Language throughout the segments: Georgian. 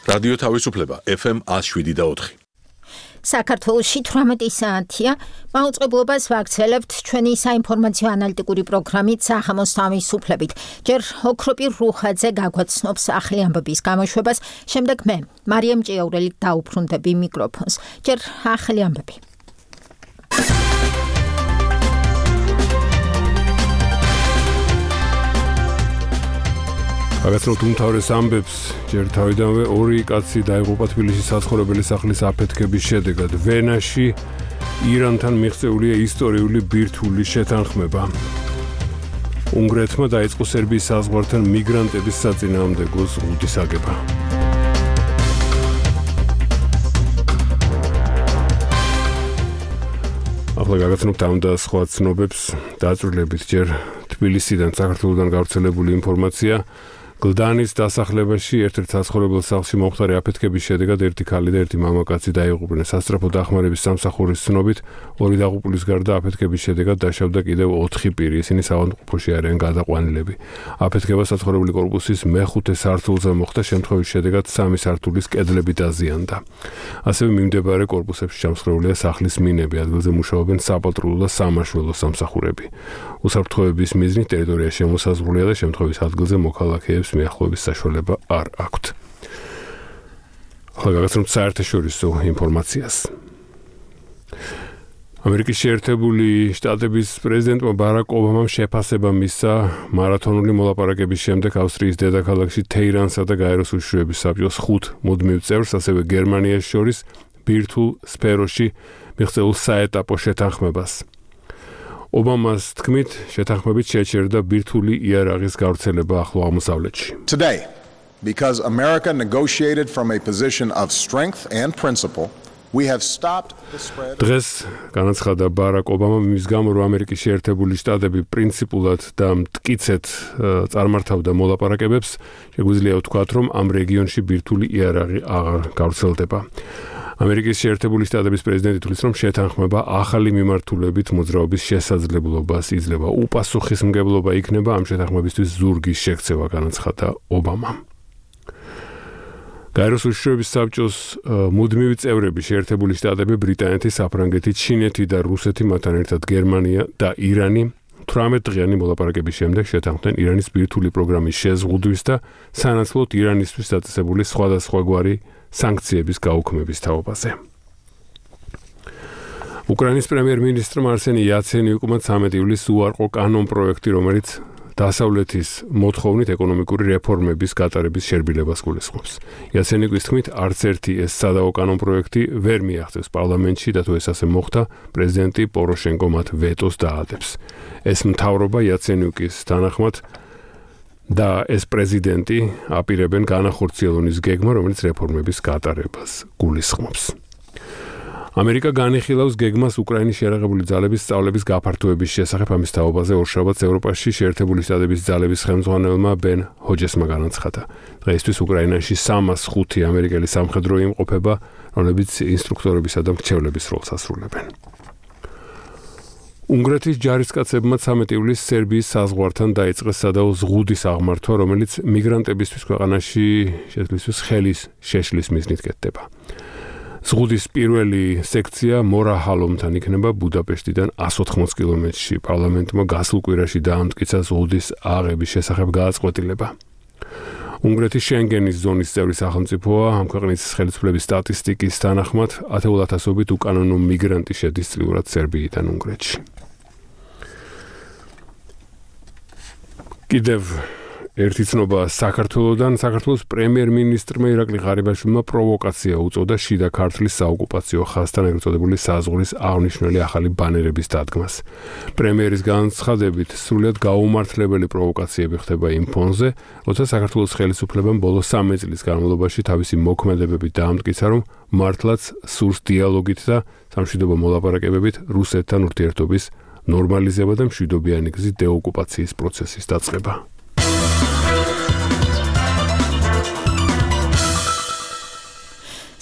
რადიო თავისუფლება FM 107.4. საქართველოში 18 საათია. მაუწყებლობას ვაგრძელებთ ჩვენი საინფორმაციო ანალიტიკური პროგრამით სახამოს თავისუფლებით. ჯერ ოქროპირ რუხაძე გაგვაცნობს ახალი ამბების გამოშვებას, შემდეგ მე, მარიამ ჭიაურელი დაუბრუნდები მიკროფონს. ჯერ ახალი ამბები. გაგაცნობთ უმთავრეს ამბებს, ჯერ თავიდანვე 2 კაცი დაიღუპა თბილისის საცხოვრებელი სახლის აფეთქების შედეგად. ვენაში ირანთან მიღწეულია ისტორიული ბირთვული შეთანხმება. უნგრეთმა დაიწყო სერბიის საზღვართან მიგრანტების საწინააღმდეგო ზღუდის აგება. ახლა გაგაცნობთ ამ და სხვა ცნობებს დაწვრილებით ჯერ თბილისიდან საქართველოსთან გავრცელებული ინფორმაცია. გლდანის დასახლებაში ერთ-ერთ საცხოვრებელ სახლში მომხდარი აფეთქების შედეგად ერთი ქალი და ერთი მამაკაცი დაიღუპნენ. სასწრაფო დახმარების სამსახურის ცნობით 2 დაღუპულის გარდა აფეთქების შედეგად დაშავდა კიდევ 4 პირი. ისინი საავადმყოფოში არიან გადაყვანილები. აფეთქება საცხოვრებელი კორპუსის მე-5 სართულზე მოხდა, შემთხვევის შედეგად 3 სართულის კედლები დაზიანდა. ასევე მიმდებარე კორპუსებში ჩამსხვრეულია სახლის მინები, ადგილზე მუშაობენ საპატრულო და სამაშველო სამსახურები. უსაფრთხოების მიზნით ტერიტორია შემოსაზღვრულია და შემთხვევის ადგილზე მოქალაქეებს მიახლოების საშუალება არ აქვთ. ახლა გაგაცნობთ საერთაშორისო ინფორმაციას. ამერიკის შეერთებული შტატების პრეზიდენტმა ბარაკ ობამამ შეფასება მისცა მარათონული მოლაპარაკების შემდეგ ავსტრიის დედაქალაქში თეირანსა და გაეროს უშიშროების საბჭოს 5 მუდმივ წევრს, ასევე გერმანიას შორის ბირთვულ სფეროში მიღწეულ საეტაპო შეთანხმებას. ობამას თქმით, შეთანხმებით შეჩერდა ბირთვული იარაღის გავრცელება ახლო აღმოსავლეთში. Today, because America negotiated from a position of strength and principle, we have stopped the spread. დღეს განაცხადა ბარაკ ობამამ იმის გამო, რომ ამერიკის შეერთებული შტატები პრინციპულად და მტკიცედ წარმართავდა მოლაპარაკებებს, შეგვიძლია ვთქვათ, რომ ამ რეგიონში ბირთვული იარაღი აღარ გავრცელდება. ამერიკის შეერთებული შტატების პრეზიდენტი თვლის, რომ შეთანხმება ახალი მიმართულებით მოძრაობის შესაძლებლობას იძლევა. უპასუხისმგებლობა იქნება ამ შეთანხმებისთვის ზურგის შექცევა, განაცხადა ობამა. გაეროს უშიშროების საბჭოს მუდმივი წევრები შეერთებული შტატები, ბრიტანეთი, საფრანგეთი, ჩინეთი და რუსეთი, მათთან ერთად გერმანია და ირანი 18 დღიანი მოლაპარაკების შემდეგ შეთანხმდნენ ირანის ბირთვული პროგრამის შეზღუდვის და სანაცვლოდ ირანისთვის დაწესებული სხვადასხვაგვარი სანქციების გაუქმების თაობაზე. უკრაინის პრემიერ-მინისტრმა არსენი იაცენიუკმა 13 ივლისს უარყო კანონპროექტი, რომელიც დასავლეთის მოთხოვნით ეკონომიკური რეფორმების გატარების შერბილებას გულისხმობს. იაცენიუკის თქმით, არც ერთი ეს სადავო კანონპროექტი ვერ მიაღწევს პარლამენტში და თუ ეს ასე მოხდა, პრეზიდენტი პოროშენკო მათ ვეტოს დაადებს. ეს მთავრობა იაცენიუკის თანახმად და ეს პრეზიდენტი აპირებენ განახორციელოს გეგმა, რომელიც რეფორმების გატარებას გულისხმობს. ამერიკა განიხილავს გეგმას უკრაინის შეიარაღებული ძალების სწავლების გაფართოების შესახებ. ამის თაობაზე ორშაბათს ევროპაში შეერთებული შტატების ძალების ხელმძღვანელმა ბენ ჰოჯესმა განაცხადა. დღეისთვის უკრაინაში 305 ამერიკელი სამხედრო იმყოფება, რომლებიც ინსტრუქტორებისა და მრჩევლების როლს ასრულებენ. უნგრეთის ჯარისკაცებმა 13 ივლისს სერბიის საზღვართან დაიწყეს სადავო ზღუდის აღმართვა, რომელიც მიგრანტებისთვის ქვეყანაში შესვლისთვის ხელის შეშლის მიზნით კეთდება. ზღუდის პირველი სექცია მორაჰალომთან იქნება ბუდაპეშტიდან 180 კილომეტრში. პარლამენტმა გასულ კვირაში დაამტკიცა ზღუდის აღების შესახებ გააწყვეტილება. უნგრეთის შენგენის ზონის წევრი სახელმწიფოა. ამ ქვეყნის ხელისუფლების სტატისტიკის თანახმად 10,000-ობით უკანონო მიგრანტი შედის წლიურად სერბიიდან უნგრეთში. კიდევ ერთი ცნობა საქართველოდან. საქართველოს პრემიერ-მინისტრმა ირაკლი ღარიბაშვილმა პროვოკაცია უწოდა შიდა ქართლის საოკუპაციო ხაზთან ეგრეთ წოდებული საზღვრის აღნიშნული ახალი ბანერების დადგმას. პრემიერის განცხადებით, სრულიად გაუმართლებელი პროვოკაციები ხდება იმ ფონზე, როცა საქართველოს ხელისუფლებამ ბოლო 3 წლის განმავლობაში თავისი მოქმედებებით დაამტკიცა, რომ მართლაც სურს დიალოგით და სამშვიდობო მოლაპარაკებებით რუსეთთან ურთიერთობის ნორმალიზება და მშვიდობიანი გზით დეოკუპაციის პროცესის დაწყება.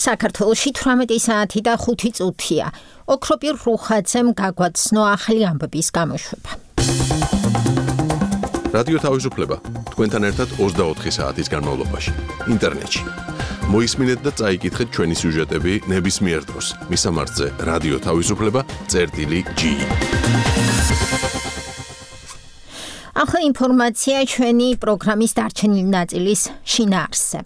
საქართველოში 18 საათი და 5 წუთია. ოქროპირ რუხაძემ გაგვაცნო ახალი ამბების გამოშვება. რადიო თავისუფლება თქვენთან ერთად 24 საათის განმავლობაში ინტერნეტში მოისმინეთ და წაიკითხეთ ჩვენი სიუჟეტები ნებისმიერ დროს. მისამართზე რადიო თავისუფლება წერტილი G. ახლა ინფორმაცია ჩვენი პროგრამის დარჩენილი ნაწილის შინაარსზე.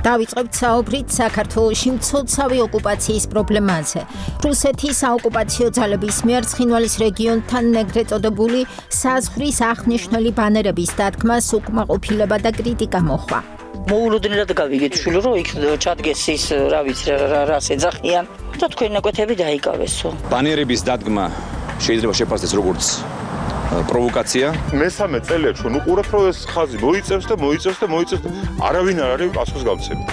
დავიწყებთ საუბრით საქართველოში მცოცავი ოკუპაციის პრობლემაზე. რუსეთის საოკუპაციო ძალების მიერ ცხინვალის რეგიონთან ეგრეთ წოდებული საზღვრის აღნიშნული ბანერების დადგმას უკმაყოფილება და კრიტიკა მოჰყვა. მოულოდნელად გავიგეთ შვილო, რომ იქ ჩადგეს ის, რა ვიცი, რას ეძახიან და თქვენი ნაკვეთები დაიკავესო. ბანერების დადგმა შეიძლება შეფასდეს როგორც პროვოკაცია. მესამე წელია ჩვენ უყურებთ, რომ ეს ხაზი მოიწევს და არავინ არ არის პასუხს გამცემი.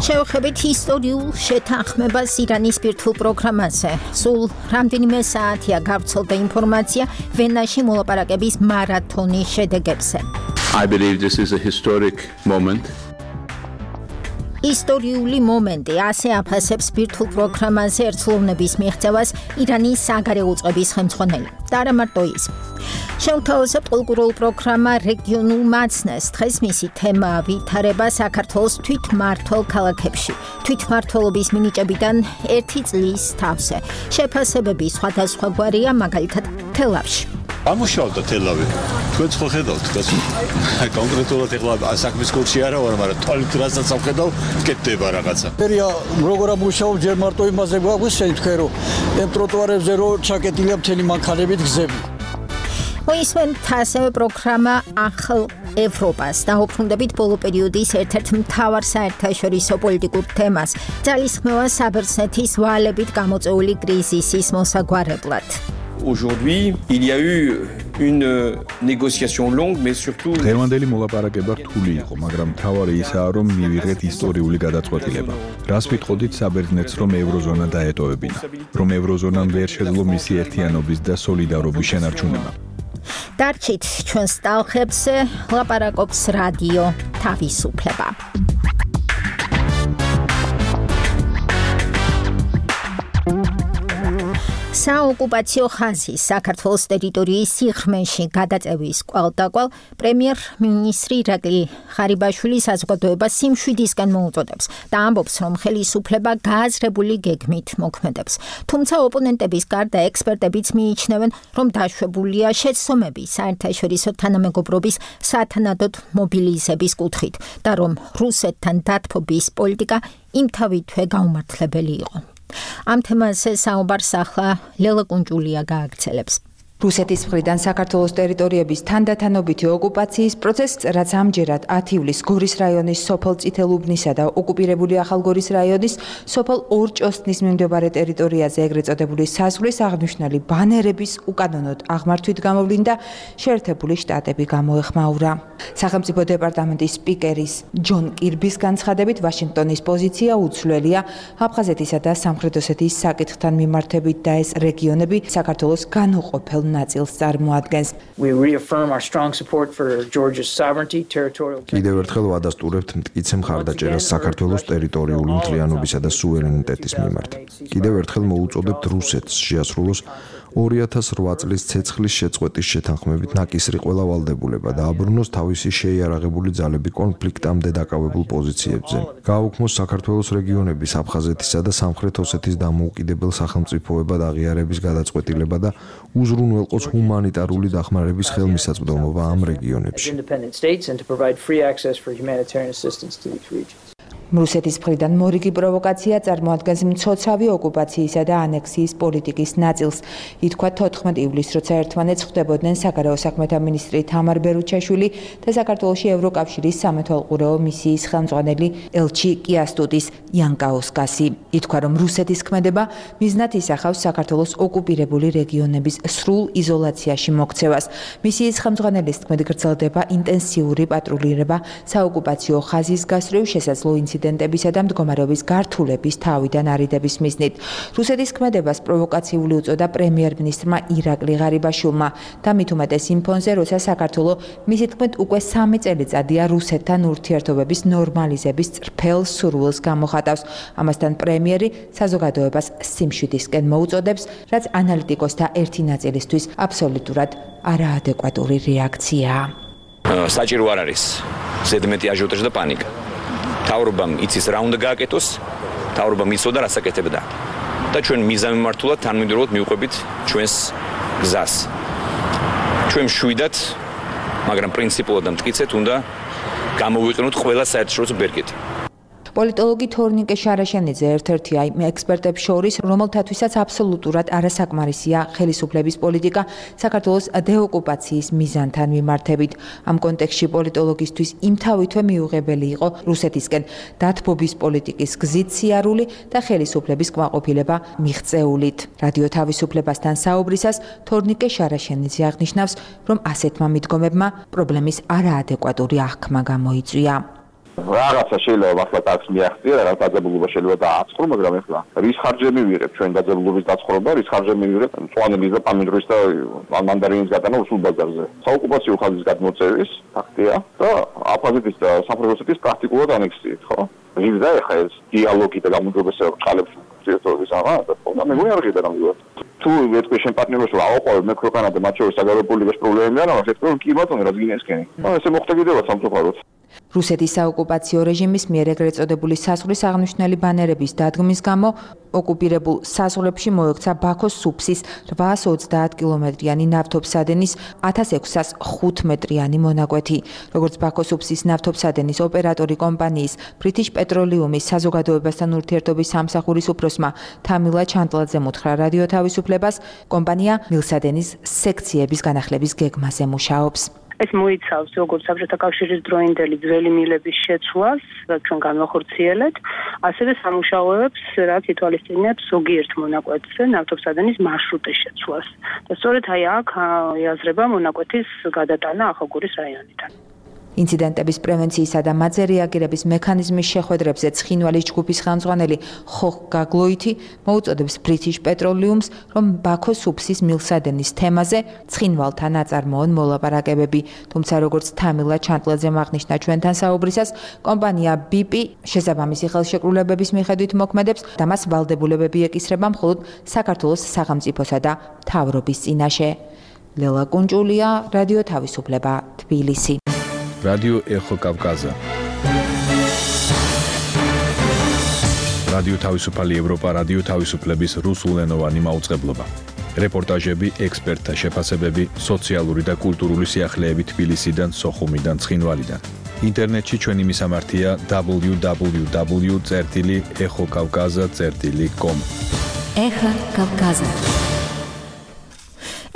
შევხედეთ ისტორიულ შეთანხმებას ირანის ბირთვულ პროგრამაზე. სულ რამდენიმე საათია გავრცელდა ინფორმაცია ვენაში მოლაპარაკების მარათონის შედეგებზე. I believe this is a historic moment. ისტორიული მომენტი, ასე აფასებს ბირთვულ პროგრამაზე ერთლოვნების მიღწევას ირანის საგარეო უწყების ხელმძღვანელი. და არა მარტო ის. შეუთავაზებთ ყოლგურულ პროგრამა რეგიონულ მაცნეს. დღეს მისი თემაა ვითარება საქართველოს თვითმმართველ ქალაქებში. თვითმმართველობის მინიჭებიდან 1 წლის თავზე. შეფასებები სხვადასხვაგვარია, მაგალითად თელავში. ამუშავდა თელავი. თქვენ ხო ხედავთ, კონკრეტულად ეხლა საქმის კურსი არა ვარ, მაგრამ თვალით რასაც ამხედავ, კეთდება რაღაცა. ფერია როგორ ამუშავებ, ჯერ მარტო იმაზე გვაგვისცენ თქვენ, რომ ამ ტროტუარებზე რო ჩაკეტილია მთელი მანქანებით გზები. მოისმენთ ასევე პროგრამა ახალ ევროპას. დაუბრუნდებით ბოლო პერიოდის ერთ-ერთ მთავარ საერთაშორისო პოლიტიკურ თემას, ძალისხმევა საბერძნეთის ვალებით გამოწვეული კრიზისის მოსაგვარებლად. Aujourd'hui, il y a eu une négociation longue, mais surtout... დღევანდელი მოლაპარაკება რთული იყო, მაგრამ მთავარი ისაა, რომ მივიღეთ ისტორიული გადაწყვეტილება. რას ვიტყოდით საბერძნეთს, რომ ევროზონა დაეტოვებინა, რომ ევროზონამ ვერ შეძლო მისი ერთიანობის და სოლიდარობის შენარჩუნება. დარჩით ჩვენს ტალღებს, ლაპარაკობს რადიო თავისუფლება. საოკუპაციო ხაზის საქართველოს ტერიტორიის სიღრმეში გადაწევის კვალდაკვალ პრემიერ-მინისტრი ირაკლი ხარიბაშვილი საზოგადოებას სიმშვიდისკენ მოუწოდებს და ამბობს, რომ ხელისუფლება გააზრებული გეგმით მოქმედებს. თუმცა ოპონენტების გარდა ექსპერტებიც მიიჩნევენ, რომ დაშვებულია შეცდომები საერთაშორისო თანამეგობრობის სათანადოდ მობილიზების კუთხით და რომ რუსეთთან დათბობის პოლიტიკა იმთავითვე გაუმართლებელი იყო. ამ თემაზე საუბარს ახლა ლელა კუნჭულია გააგრძელებს. რუსეთის მხრიდან საქართველოს ტერიტორიების თანდათანობითი ოკუპაციის პროცესს, რაც ამჯერად 10 ივლისს გორის რაიონის სოფელ წითელუბნისა და ოკუპირებული ახალგორის რაიონის სოფელ ორჭოსნის მიმდებარე ტერიტორიაზე ეგრეთ წოდებული საზღვრის აღნიშნული ბანერების უკანონოდ აღმართვით გამოვლინდა შეერთებული შტატები გამოეხმაურა. სახელმწიფო დეპარტამენტის სპიკერის ჯონ კირბის განცხადებით, ვაშინგტონის პოზიცია უცვლელია აფხაზეთისა და სამხრეთ ოსეთის საკითხთან მიმართებით და ეს რეგიონები საქართველოს განუყოფელ ნაწილს წარმოადგენს. კიდევ ერთხელ ვადასტურებთ მტკიცე მხარდაჭერას საქართველოს ტერიტორიული მთლიანობისა და სუვერენიტეტის მიმართ. კიდევ ერთხელ მოუწოდებთ რუსეთს შეასრულოს 2008 წლის ცეცხლის შეწყვეტის შეთანხმებით ნაკისრი ყველა ვალდებულება და აბრუნოს თავისი შეიარაღებული ძალები კონფლიქტამდე დაკავებულ პოზიციებზე. გააუქმოს საქართველოს რეგიონების აფხაზეთისა და სამხრეთ ოსეთის დამოუკიდებელ სახელმწიფოებად აღიარების გადაწყვეტილება და უზრუნველყოს ჰუმანიტარული დახმარების ხელმისაწვდომობა ამ რეგიონებში. რუსეთის მხრიდან მორიგი პროვოკაცია წარმოადგენს მცოცავი ოკუპაციისა და ანექსიის პოლიტიკის ნაწილს. ითქვა 14 ივლისს, როცა ერთმანეთს ხვდებოდნენ საგარეო საქმეთა მინისტრი თამარ ბერუჩაშვილი და საქართველოში ევროკავშირის სამეთვალყურეო მისიის ხელმძღვანელი ელჩი კიასტუტის იანკაუსკასი. ითქვა, რომ რუსეთის ქმედება მიზნად ისახავს საქართველოს ოკუპირებული რეგიონების სრულ იზოლაციაში მოქცევას. მისიის ხელმძღვანელის თქმით, გრძელდება ინტენსიური პატრულირება საოკუპაციო ხაზის გასწვრივ შესაძლო ინციდენტებისა და მდგომარეობის გართულების თავიდან არიდების მიზნით. რუსეთის ქმედებას პროვოკაციული უწოდა პრემიერ-მინისტრმა ირაკლი ღარიბაშვილმა და მით უმეტეს იმ ფონზე, როცა საქართველო მისი თქმით უკვე 3 წელიწადია რუსეთთან ურთიერთობების ნორმალიზების წრფელ სურვილს გამოხატავს. ამასთან პრემიერი საზოგადოებას სიმშვიდისკენ მოუწოდებს, რაც ანალიტიკოსთა ერთი ნაწილისთვის აბსოლუტურად არაადეკვატური რეაქციაა. საჭირო არ არის ზედმეტი აჟიოტაჟი და პანიკა. მთავრობამ იცის რა უნდა გააკეთოს, მთავრობამ იცოდა რას აკეთებდა. და ჩვენ მიზანმიმართულად თანმიმდევრულად მივყვებით ჩვენს გზას. ჩვენ მშვიდად, მაგრამ პრინციპულად და მტკიცედ უნდა გამოვიყენოთ ყველა საერთაშორისო ბერკეტი. პოლიტოლოგი თორნიკე შარაშენიძე ერთ-ერთია იმ ექსპერტებს შორის, რომელთათვისაც აბსოლუტურად არასაკმარისია ხელისუფლების პოლიტიკა საქართველოს დეოკუპაციის მიზანთან მიმართებით. ამ კონტექსტში პოლიტოლოგისთვის იმთავითვე მიუღებელი იყო რუსეთისკენ დათბობის პოლიტიკის გზით სიარული და ხელისუფლების კმაყოფილება მიღწეულით. რადიო თავისუფლებასთან საუბრისას თორნიკე შარაშენიძე აღნიშნავს, რომ ასეთმა მიდგომებმა პრობლემის არაადეკვატური აღქმა გამოიწვია. რაღაცა შეიძლება ახლა ტაქსი მიაღწია, რაღაც დაძაბულობა შეიძლება დააწყრო, მაგრამ ახლა რის ხარჯები ვიღებ ჩვენ დაძაბულობის დაცხრობა, რის ხარჯები ვიღებ მწვანელის და პამიდრის და მანდარინის გატანა რუსულ ბაზარზე. საოკუპაციო ხაზის გადმოწევის ფაქტია და აფხაზეთის და სამხრეთ ოსეთის პრაქტიკულად ანექსიით, ხო? ჟილდა ახლა ეს დიალოგი და გამუდმებისა ყალებს ერთობის ამა და ხოდა მე გვი არ ღირდა ნამდვილად. თუ ეთქვი შენ პარტნიორს რომ აოყოვებ მე ქვეყანა და მათ შორის საგარეო პოლიტიკის პრობლემები არა, მაგრამ ეთქვი რომ კი ბატონო რა გინესკენი. ესე მოხდა კიდევაც სამწუხაროდ. რუსეთის საოკუპაციო რეჟიმის მიერ ეგრეთ წოდებული საზღვრის აღნიშნული ბანერების დადგმის გამო ოკუპირებულ საზღვრებში მოექცა ბაქოს სუფსის 830 კილომეტრიანი ნავთობსადენის 1605 მეტრიანი მონაკვეთი. როგორც ბაქოს სუფსის ნავთობსადენის ოპერატორი კომპანიის British Petroleum-ის საზოგადოებასთან ურთიერთობის სამსახურის უფროსმა თამილა ჩანტლაძემ უთხრა რადიო თავისუფლებას, კომპანია მილსადენის სექციების განახლების გეგმაზე მუშაობს. ეს მოიცავს როგორც საბჭოთა კავშირის დროინდელი ძველი მილების შეცვლას, რაც ჩვენ განვახორციელეთ, ასევე სამუშაოებს, რაც ითვალისწინებს ზოგიერთ მონაკვეთზე ნავთობსადენის მარშრუტის შეცვლას. და სწორედ აქ იაზრება მონაკვეთის გადატანა ახალგორის რაიონიდან. ინციდენტების პრევენციისა და მათზე რეაგირების მექანიზმის შეხვედრებზე ცხინვალის ჯგუფის ხელმძღვანელი ხოხ გაგლოითი მოუწოდებს British Petroleum-ს, რომ ბაქოს სუფსის მილსადენის თემაზე ცხინვალთან აწარმოონ მოლაპარაკებები. თუმცა როგორც თამილა ჩანტლაძემ აღნიშნა ჩვენთან საუბრისას, კომპანია BP შესაბამისი ხელშეკრულებების მიხედვით მოქმედებს და მას ვალდებულებები ეკისრება მხოლოდ საქართველოს სახელმწიფოსა და მთავრობის წინაშე. ლელა კუნჭულია, რადიო თავისუფლება, თბილისი. რადიო ეხო კავკაზა. რადიო თავისუფალი ევროპა, რადიო თავისუფლების რუსულენოვანი მაუწყებლობა. რეპორტაჟები, ექსპერტთა შეფასებები, სოციალური და კულტურული სიახლეები თბილისიდან, სოხუმიდან, ცხინვალიდან. ინტერნეტში ჩვენი მისამართია www.exokavkaza.com. ეხო კავკაზა.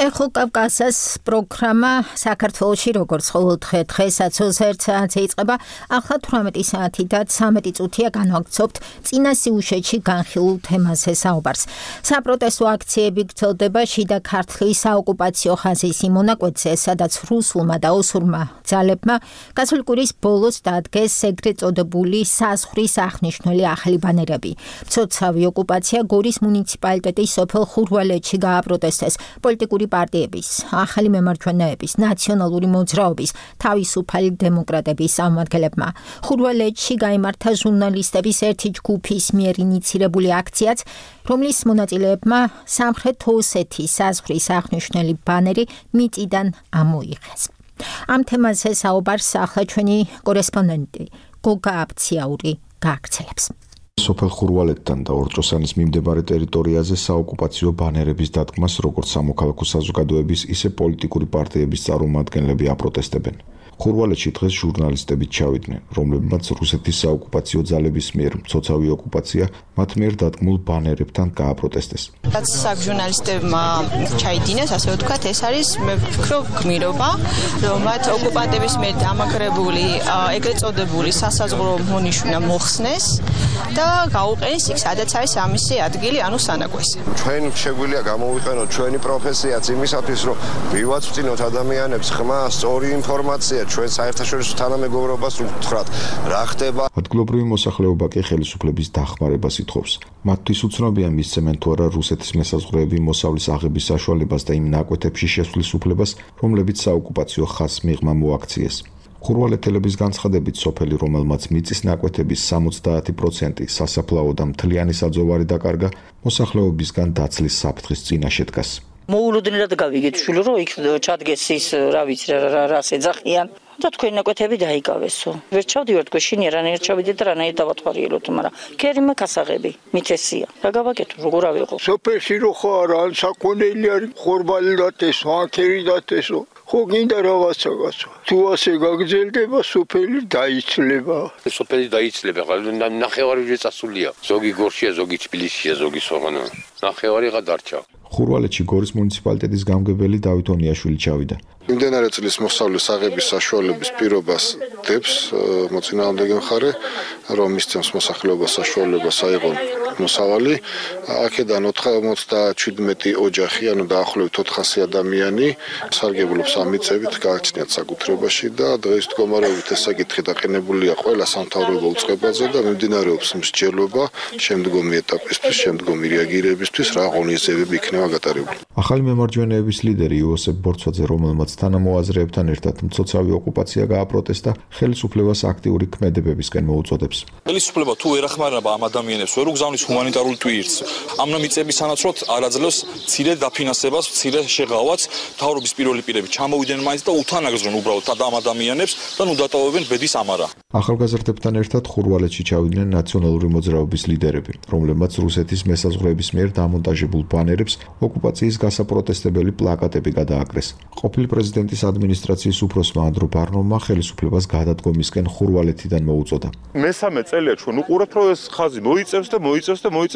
ეხო კავკაზას პროგრამა საქართველოში როგორც ყოველდღე დღესაც 21 საათზე იწყება. ახლა 18 საათი და 13 წუთია განვაგრძობთ წინა სიუჟეტში განხილულ თემაზე საუბარს. საპროტესტო აქციები გრძელდება შიდა ქართლის საოკუპაციო ხაზის იმ მონაკვეთზე, სადაც რუსულმა და ოსურმა ძალებმა გასული კვირის ბოლოს დადგეს ეგრეთ წოდებული საზღვრის აღნიშნული ახალი ბანერები. მცოცავი ოკუპაცია გორის მუნიციპალიტეტის სოფელ ხურვალეთში გააპროტესტეს პოლიტიკური პარტიების, ახალი მემარჯვენეების, ნაციონალური მოძრაობის, თავისუფალი დემოკრატების წარმომადგენლებმა. ხურვალეთში გაიმართა ჟურნალისტების ერთი ჯგუფის მიერ ინიცირებული აქციაც, რომლის მონაწილეებმა სამხრეთ ოსეთის საზღვრის აღნიშნული ბანერი მიწიდან ამოიღეს. ამ თემაზე საუბარს ახლა ჩვენი კორესპონდენტი გოგა აბციაური გააგრძელებს. სოფელ ხურვალეთთან და ორჭოსანის მიმდებარე ტერიტორიაზე საოკუპაციო ბანერების დადგმას როგორც სამოქალაქო საზოგადოების, ისე პოლიტიკური პარტიების წარმომადგენლები აპროტესტებენ. ხურვალეთში დღეს ჟურნალისტები ჩავიდნენ, რომლებმაც რუსეთის საოკუპაციო ძალების მიერ მცოცავი ოკუპაცია მათ მიერ დადგმულ ბანერებთან გააპროტესტეს. რაც ჟურნალისტებმა ჩაიდინეს, ასე ვთქვათ, ეს არის მე ვფიქრობ გმირობა, რომ მათ ოკუპანტების მიერ დამაგრებული ეგრეთ წოდებული სასაზღვრო მონიშნა მოხსნეს და გაუყენეს იქ, სადაც არის ამისი ადგილი, ანუ სანაკვესი. ჩვენ შეგვიძლია გამოვიყენოთ ჩვენი პროფესიაც იმისათვის, რომ მივაწვდინოთ ადამიანებს ხმა, სწორი ინფორმაცია ჩვენ საერთაშორისო თანამეგობრობას ვთხრათ, რა ხდება. ადგილობრივი მოსახლეობა კი ხელისუფლების დახმარებას ითხოვს. მათთვის უცნობია მისცემენ თუ არა რუსეთის მესაზღვრეები მოსავლის აღების საშუალებას და იმ ნაკვეთებში შესვლის უფლებას, რომლებიც საოკუპაციო ხაზს მიღმა მოაქციეს. ხურვალეთელების განცხადებით, სოფელი, რომელმაც მიწის ნაკვეთების 70% სასაფლაო და მთლიანი საძოვარი დაკარგა, მოსახლეობისგან დაცლის საფრთხის წინაშე დგას. მოულოდნელად გავიგეთ შვილო, რომ იქ ჩადგეს ის, რა ვიცი, რას ეძახიან და თქვენი ნაკვეთები დაიკავესო. ვერ ჩავდივართ გვეშინია, რანაირად ჩავიდეთ და რანაირად დავათვალიეროთ, მაგრამ ქერიმე კასაღები, მითესია. რა გავაკეთო, როგორ ავიღო? სოფელში რო ხარ, ან საქონელი არის, ხორბალი დათესო, ან ქერი დათესო. ხო გინდა რაღაცა. თუ ასე გაგრძელდება, სოფელი დაიცლება. სოფელი დაიცლება, ნახევარი წასულია. ზოგი გორშია, ზოგი თბილისშია, ზოგი სოღანა. ნახევარიღა დარჩა. ხურვალეთში გორის მუნიციპალიტეტის გამგებელი დავით ონიაშვილი ჩავიდა. მიმდინარე წლის მოსავლის აღების საშუალების პირობას დებს მოწინააღმდეგე მხარე, რომ მისცემს მოსახლეობას საშუალებას აიღონ მოსავალი. აქედან 97 ოჯახი, ანუ დაახლოებით 400 ადამიანი სარგებლობს ამ მიწებით, გააჩნიათ საკუთრებაში და დღეს მდგომარეობით ეს საკითხი დაყენებულია ყველა სამთავრობო უწყებაზე და მიმდინარეობს მსჯელობა შემდგომი ეტაპისთვის, შემდგომი რეაგირებისთვის, რა ღონისძიებები იქნება გატარებული. ახალი მემარჯვენეების ლიდერი იოსებ ბორცვაძე, რომელმაც თანამოაზრეებთან ერთად მცოცავი ოკუპაცია გააპროტესტა, ხელისუფლებას აქტიური ქმედებებისკენ მოუწოდებს. ხელისუფლება თუ ვერ ახმარება ამ ადამიანებს, ვერ უგზავნის ჰუმანიტარულ ტვირთს, ამ მიწების სანაცვლოდ არაძლევს მცირე დაფინანსებას, მცირე შეღავაც, მთავრობის პირველი პირები ჩამოვიდნენ მაინც და უთანაგრძონ უბრალოდ ამ ადამიანებს და ნუ დატოვებენ ბედის ამარა. ახალგაზრდებთან ერთად ხურვალეთში ჩავიდნენ ნაციონალური მოძრაობის ლიდერები, რომლებმაც რუსეთის მესაზღვრეების მიერ დამონტაჟებულ ბანერებს ოკუპაციის გასაპროტესტებელი პლაკატები გადააკრეს. ყოფილი პრეზიდენტის ადმინისტრაციის უფროსმა ანდრო ბარნოვმა ხელისუფლებას გადადგომისკენ ხურვალეთიდან მოუწოდა. მესამე წელია ჩვენ უყურებთ, რომ ეს ხაზი მოიწევს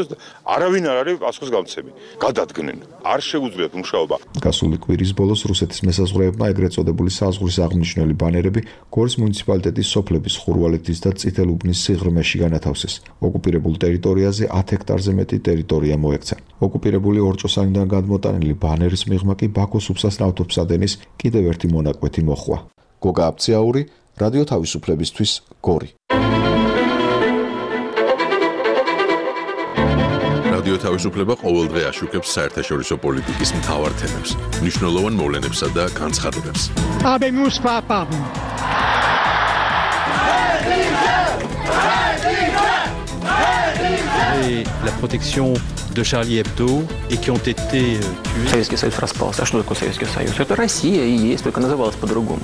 და არავინ არ არის პასუხის გამცემი. გადადგნენ. არ შეუძლიათ მუშაობა. გასული კვირის ბოლოს რუსეთის მესაზღვრეებმა ეგრეთ წოდებული საზღვრის აღმნიშვნელი ბანერები გორის მუნიციპალიტეტის სოფლების ხურვალეთის და წითელუბნის სიღრმეში განათავსეს. ოკუპირებულ ტერიტორიაზე 10 ჰექტარზე მეტი ტერიტორია მოექცა. ოკუპირებული ორჭოსანიდან გადმოტანილი ბანერის მიღმა კი ბაქოს უსასნაუთობსადენის კიდევ ერთი მონაკვეთი მოხვა. გოგა აფციაური, რადიო თავისუფლებისთვის, გორი. რადიო თავისუფლება ყოველდღე აშუქებს საერთაშორისო პოლიტიკის მთავარ თემებს, მნიშვნელოვან მოვლენებსა და განცხადებებს. La protection de Charlie Hebdo et qui ont été tués. Советский Союз распался. А что такое Советский Союз? Это Россия и есть, только называлась по-другому.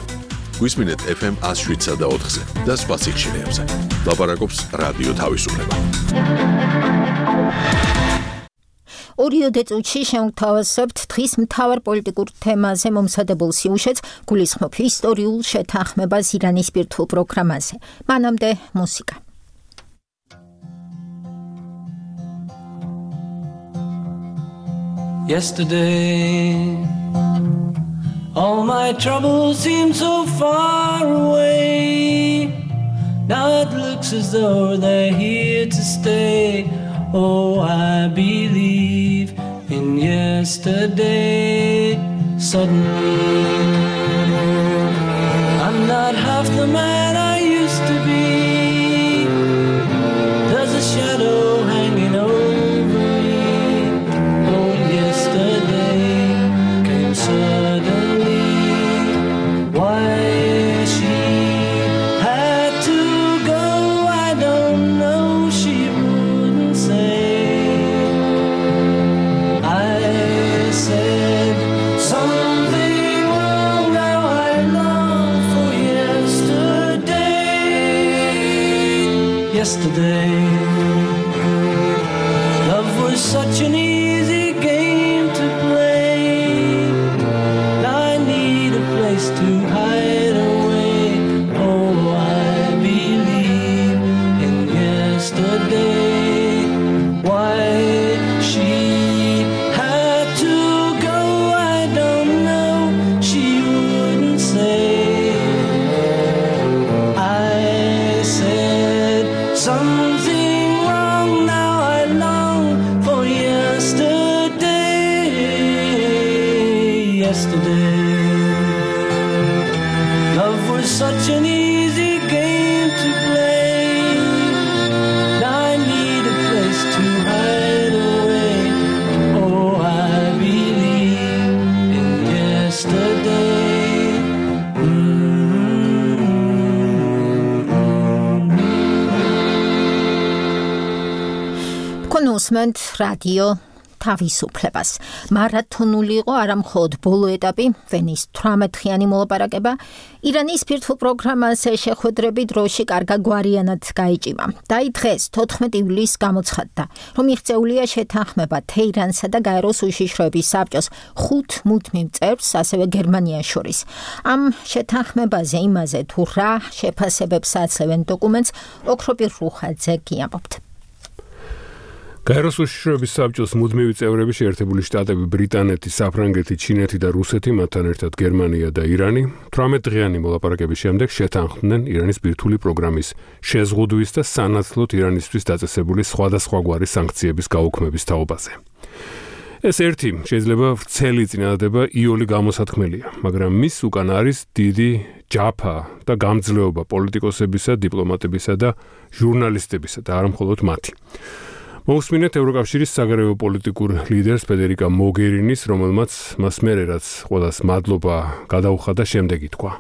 გვისმინეთ FM 107.4-ზე და სხვა სიხშირეებზე. ლაპარაკობს რადიო თავისუფლება. ორიოდე წუთში შევთავაზებთ დღის მთავარ პოლიტიკურ თემაზე მომზადებულ სიუჟეტს, გულისხმობ ისტორიულ შეთანხმებას ირანის ბირთვულ პროგრამაზე. მანამდე მუსიკა. Yesterday, all my troubles seem so far away. Now it looks as though they're here to stay. Oh, I believe in yesterday. Suddenly, I'm not half the man I used to be. There's a shadow hanging over me. Oh, yesterday came suddenly. Why she had to go, I don't know. She wouldn't say. I said something wrong. Now I long for yesterday. Yesterday, love was such an easy game to play. Now I need a place to hide away. Oh, I believe in yesterday. Why she had to go, I don't know. She wouldn't say. I said something such an easy game to play. I need a place to hide away. Oh, I believe in yesterday. კონუსმენტ რადიო თავისუფლებას. მარათონული იყო არა მხოლოდ ბოლო ეტაპი, ვენის 18-ხიანი მოლაპარაკება, ირანის ბირთვულ პროგრამას შეხვედრები დროში კარგაგვარიანად გაიჭიმა. და დღეს 14 ივლისს გამოცხადდა, რომ მიღწეულია შეთანხმება თეირანსა და გაეროს უშიშროების საბჭოს 5 მუდმივ წევრს, ასევე გერმანიას შორის. ამ შეთანხმებაზე იმაზე თუ რა შეფასებებს აძლევენ დოკუმენტს, ოქროპირ რუხაძე გიამბობთ. გაეროს უშიშროების საბჭოს მუდმივი წევრები შეერთებული შტატები, ბრიტანეთი, საფრანგეთი, ჩინეთი და რუსეთი, მათთან ერთად გერმანია და ირანი 18-დღიანი მოლაპარაკების შემდეგ შეთანხმდნენ ირანის ბირთვული პროგრამის შეზღუდვის და სანაცვლოდ ირანისთვის დაწესებული სხვადასხვაგვარი სანქციების გაუქმების თაობაზე. ეს ერთი შეიძლება ვრცელი წინადადება იოლი გამოსათქმელია, მაგრამ მის უკან არის დიდი ჯაფა და გამძლეობა პოლიტიკოსებისა, დიპლომატებისა და ჟურნალისტებისა და არა მხოლოდ მათი. მოусმინეთ ევროკავშირის საგარეო პოლიტიკურ ლიდერს ფედერიკა მოგერინის, რომელმაც მას მერე რაც ყველას მადლობა გადაუხადა, შემდეგ ითქვა.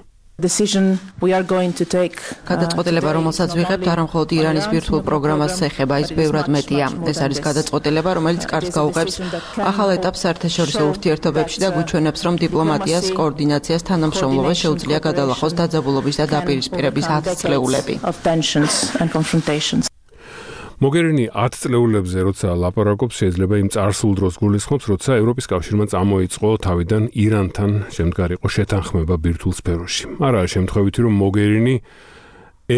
გადაწყვეტილება, რომელსაც ვიღებთ, არა მხოლოდ ირანის ბირთვულ პროგრამას ეხება, ის ბევრად მეტია. ეს არის გადაწყვეტილება, რომელიც კარგს გაუღებს ახალ ეტაპს საერთაშორისო ურთიერთობებში და გვიჩვენებს, რომ დიპლომატიას, კოორდინაციას, თანამშრომლობას შეუძლია გადალახოს დაძაბულობის და დაპირისპირების 10 წლეულები. მოგერინი 10 წლეულებზე როცა ლაპარაკობს, შეიძლება იმ წარსულ დროს გულისხმობს, როცა ევროპის კავშირმა წამოიწყო თავიდან ირანთან შემდგარიყო შეთანხმება ბირთვულ სფეროში. არაა შემთხვევითი, რომ მოგერინი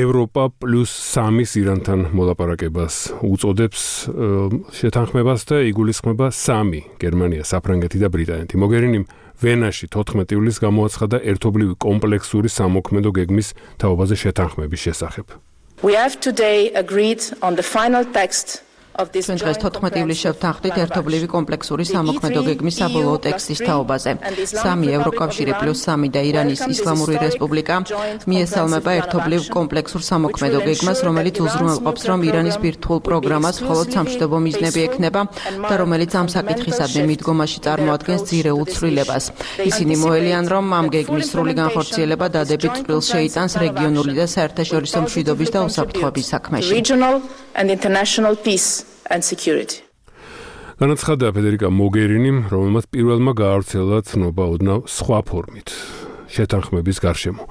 ევროპა პლუს 3-ის ირანთან მოლაპარაკებას უწოდებს შეთანხმებას და იგულისხმება 3: გერმანია, საფრანგეთი და ბრიტანეთი. მოგერინიმ ვენაში 14 ივლისს გამოაცხადა ერთობლივი კომპლექსური სამოქმედო გეგმის თაობაზე შეთანხმების შესახებ. We have today agreed on the final text of this დღეს 14 ივლისს შევთანხმდით ერთობლივი კომპლექსური სამოქმედო გეგმის საბოლოო ტექსტის თაობაზე. 3 ევროკავშირი პლუს 3 და ირანის ისლამური რესპუბლიკა მიესალმება ერთობლივ კომპლექსურ სამოქმედო გეგმას, რომელიც უზრუნველყოფს, რომ ირანის ბირთვულ პროგრამას მხოლოდ სამშვიდობო მიზნები ექნება და რომელიც ამ საკითხისადმი მიდგომაში წარმოადგენს ძირეულ ცვლილებას. ისინი მოელიან, რომ ამ გეგმის სრული განხორციელება დადებით წყვილს შეიტანს რეგიონული და საერთაშორისო მშვიდობის და უსაფრთხოების საქმეში. And security. განაცხადა ფედერიკა მოგერინიმ, რომელმაც პირველმა გაავრცელა ცნობა ოდნავ სხვა ფორმით შეთანხმების გარშემო.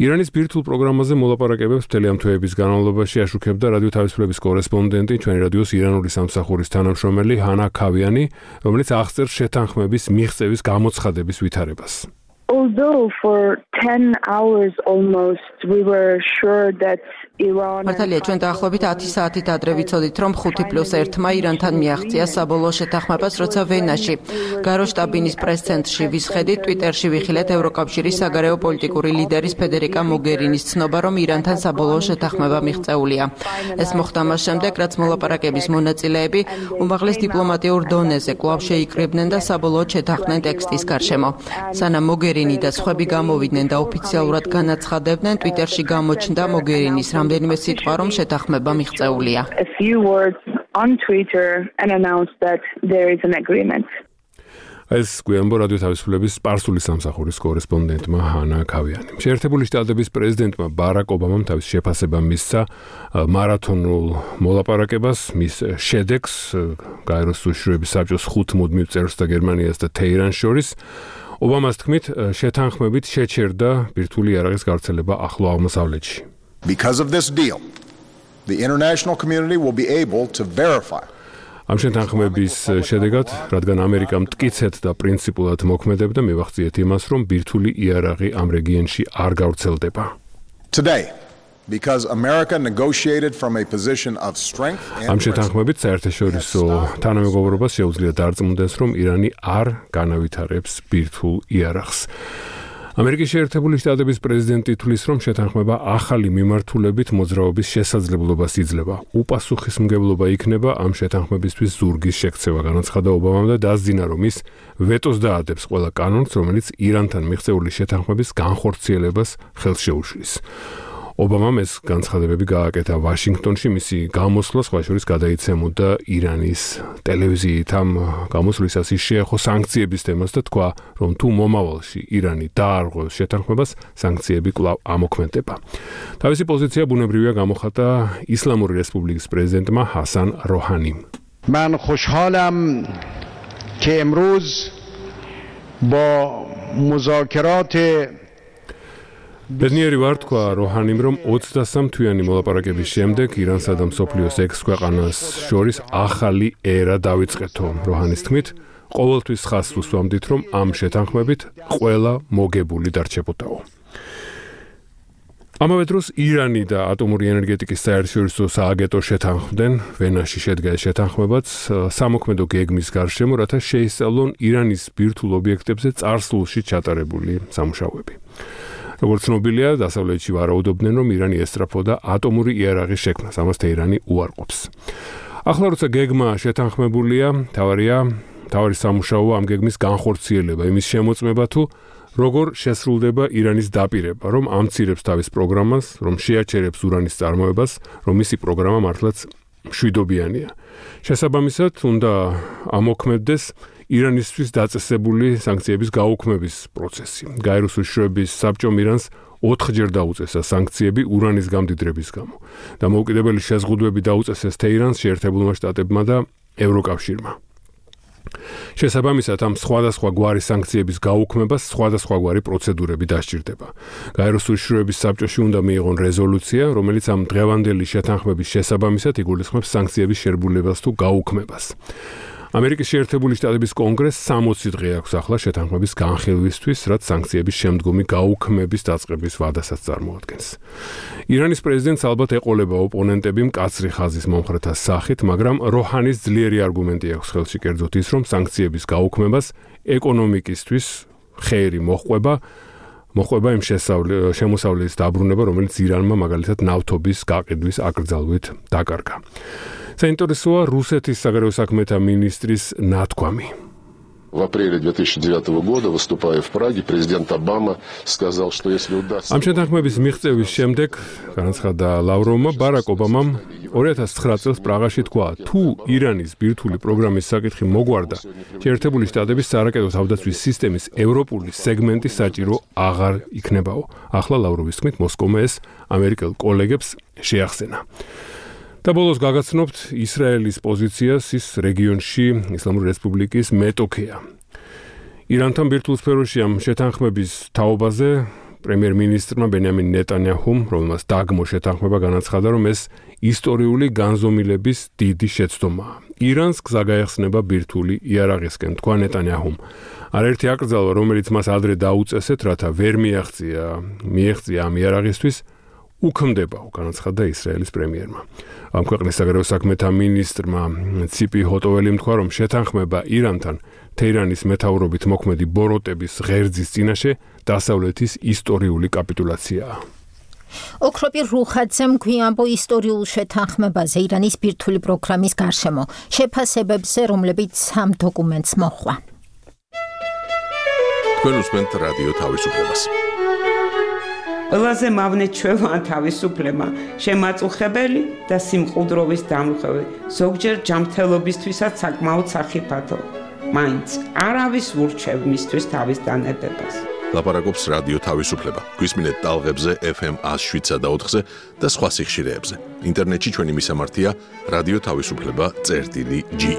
ირანის ბირთვულ პროგრამაზე მოლაპარაკებებს მთელი ამ თვეების განმავლობაში აშუქებდა რადიო თავისუფლების კორესპონდენტი, ჩვენი რადიოს ირანული სამსახურის თანამშრომელი ჰანა ქავიანი, რომელიც აღწერს შეთანხმების მიღწევის გამოცხადების ვითარებას. Although for 10 hours almost we were sure that მართალია, ჩვენ დაახლოებით 10 საათით ადრე ვიცოდით, რომ 5+1-მა ირანთან მიაღწია საბოლოო შეთანხმებას, როცა ვენაში, გარო შტაბინის პრეს-ცენტრში ვისხედით, ტვიტერში ვიხილეთ ევროკავშირის საგარეო პოლიტიკური ლიდერის ფედერიკა მოგერინის ცნობა, რომ ირანთან საბოლოო შეთანხმება მიღწეულია. ეს მოხდა მას შემდეგ, რაც მოლაპარაკების მონაწილეები უმაღლეს დიპლომატიურ დონეზე კვლავ შეიკრიბნენ და საბოლოოდ შეთანხმდნენ ტექსტის გარშემო. სანამ მოგერინი და სხვები გამოვიდნენ და ოფიციალურად განაცხადებდნენ, ტვიტერში გამოჩნდა მოგერინის რამდენიმე სიტყვა, რომ შეთანხმება მიღწეულია. A few words on Twitter and announced that there is an agreement. ეს გვიანბო რადიო თავისუფლების სპარსული სამსახურის კორესპონდენტმა ჰანა ქავიანიმ. შეერთებული შტატების პრეზიდენტმა ბარაკ ობამამ თავის შეფასება მისცა მარათონულ მოლაპარაკებას, მის შედეგს გაეროს უშიშროების საბჭოს 5 მუდმივ წევრს და გერმანიას და თეირანს შორის. ობამას თქმით, შეთანხმებით შეჩერდა ბირთვული იარაღის გავრცელება ახლო აღმოსავლეთში. Because of this deal, the international community will be able to verify. ამ შეთანხმების შედეგად, რადგან ამერიკა მტკიცედ და პრინციპულად მოქმედებდა, მივახციეთ იმას, რომ ბირთვული იარაღი ამ რეგიონში არ გავრცელდება. Today, because America negotiated from a position of strength and ამ შეთანხმებით საერთაშორისო თანამეგობრობას შეუძლია დარწმუნდეს, რომ ირანი არ განავითარებს ბირთვულ იარაღს. ამერიკის შეერთებული შტატების პრეზიდენტი თვლის, რომ შეთანხმება ახალი მიმართულებით მოძრაობის შესაძლებლობას იძლევა. უპასუხისმგებლობა იქნება ამ შეთანხმებისთვის ზურგის შექცევა, განაცხადა ობამამ და დასძინა, რომ ის ვეტოს დაადებს ყველა კანონს, რომელიც ირანთან მიღწეული შეთანხმების განხორციელებას ხელს შეუშლის. ობამამ ეს განცხადებები გააკეთა ვაშინგტონში, მისი გამოსვლა სხვა შორის გადაიცემოდა ირანის ტელევიზიით. ამ გამოსვლისას ის შეეხო სანქციების თემას და თქვა, რომ თუ მომავალში ირანი დაარღვევს შეთანხმებას, სანქციები კვლავ ამოქმედება. თავისი პოზიცია ბუნებრივია გამოხატა ისლამური რესპუბლიკის პრეზიდენტმა ჰასან როჰანიმ. من خوشحالم که امروز با مذاکرات ბედნიერი ვარ, თქვა როჰანიმ, რომ 23 თვიანი მოლაპარაკების შემდეგ ირანსა და მსოფლიოს 6 ქვეყანას შორის ახალი ერა დავიწყეთო. როჰანის თქმით, ყოველთვის ხაზს უსვამდით, რომ ამ შეთანხმებით ყველა მოგებული დარჩებოდაო. ამავე დროს ირანი და ატომური ენერგეტიკის საერთაშორისო სააგენტო შეთანხმდნენ, ვენაში შედგა ეს შეთანხმებაც სამოქმედო გეგმის გარშემო, რათა შეისწავლონ ირანის ბირთვულ ობიექტებზე წარსულში ჩატარებული სამუშაოები. როგორც ცნობილია, დასავლეთში ვარაუდობდნენ, რომ ირანი ესწრაფოდა ატომური იარაღის შექმნას, ამას თეირანი უარყოფს. ახლა როცა გეგმა შეთანხმებულია, თავარი სამუშაოა ამ გეგმის განხორციელება, იმის შემოწმება თუ როგორ შესრულდება ირანის დაპირება, რომ ამცირებს თავის პროგრამას, რომ შეაჩერებს ურანის წარმოებას, რომ მისი პროგრამა მართლაც მშვიდობიანია. შესაბამისად, უნდა ამოქმედდეს ირანისთვის დაწესებული სანქციების გაუქმების პროცესი. გაეროს უშიშროების საბჭომ ირანს 4-ჯერ დაუწესა სანქციები ურანის გამდიდრების გამო და მოუკიდებელი შეზღუდვები დაუწესეს თეირანს, შეერთებულმა შტატებმა და ევროკავშირმა. შესაბამისად, ამ სხვადასხვა გვარი სანქციების გაუქმებას სხვადასხვაგვარი პროცედურები დასჭირდება. გაეროს უშიშროების საბჭოში უნდა მიიღონ რეზოლუცია, რომელიც ამ დღევანდელი შეთანხმების შესაბამისად იგულისხმებს სანქციების შერბულებას თუ გაუქმებას. ამერიკის შეერთებული შტატების კონგრესს 60 დღე აქვს ახლა შეთანხმების განხილვისთვის, რაც სანქციების შემდგომი გაუქმების დაწყების ვადასაც წარმოადგენს. ირანის პრეზიდენტს ალბათ ეყოლება ოპონენტები მკაცრი ხაზის მომხრეთა სახით, მაგრამ როჰანის ძლიერი არგუმენტი აქვს ხელში, კერძოდ ის, რომ სანქციების გაუქმებას ეკონომიკისთვის ხეერი მოჰყვება იმ შემოსავლის დაბრუნება, რომელიც ირანმა მაგალითად ნავთობის გაყიდვის აკრძალვით დაკარგა. საინტერესოა რუსეთის საგარეო საქმეთა მინისტრის ნათქვამი. В апреле 2009 года, выступая в Праге, президент Обама сказал, что если удастся... ამ შეთანხმების მიღწევის შემდეგ, განაცხადა ლავროვმა, ბარაკ ობამამ 2009 წელს პრაღაში თქვა, თუ ირანის ბირთვული პროგრამის საკითხი მოგვარდა, შეერთებული შტატების სარაკეტო თავდაცვის სისტემის ევროპული სეგმენტი საჭირო აღარ იქნებაო. ახლა ლავროვის თქმით, მოსკოვმა ეს ამერიკელ კოლეგებს შეახსენა. და ბოლოს გაგაცნობთ ისრაელის პოზიციას ის რეგიონში ისლამური რესპუბლიკის მეტოქეა. ირანთან ბირთვულ სფეროში ამ შეთანხმების თაობაზე პრემიერ-მინისტრმა ბენიამინ ნეტანიაჰუმ, რომელმაც დაგმო შეთანხმება, განაცხადა, რომ ეს ისტორიული განზომილების დიდი შეცდომაა. ირანს გზა გაეხსნება ბირთვული იარაღისკენ, თქვა ნეტანიაჰუმ. არაერთი აკრძალვა, რომელიც მას ადრე დაუწესეთ, რათა ვერ მიეღწია ამ იარაღისთვის, უქმდებაო, განაცხადა ისრაელის პრემიერმა. ამ ქვეყნის საგარეო საქმეთა მინისტრმა ციპი ჰოტოველიმ თქვა, რომ შეთანხმება ირანთან თეირანის მეთაურობით მოქმედი ბოროტების ღერძის წინაშე დასავლეთის ისტორიული კაპიტულაციაა. ოქროპი რუხაძემ გვიამბო ისტორიულ შეთანხმებაზე ირანის ბირთვული პროგრამის გარშემო, შეფასებებზე, რომლებიც ამ დოკუმენტს მოჰყვა. თქვენ უსმენთ რადიო თავისუფლებას. ყველაზე მავნე ჩვევა თავისუფლება, შემაწუხებელი და სიმყუდროვის დამრღვევი, ზოგჯერ ჯანმრთელობისთვისაც საკმაოდ სახიფათო. მაინც არავის ურჩევ მისთვის თავის დანებებას. ლაპარაკობს რადიო თავისუფლება. გვისმინეთ ტალღებზე FM 107 და 4-ზე და სხვა სიხშირეებზე. ინტერნეტში ჩვენი მისამართია რადიო თავისუფლება.ge.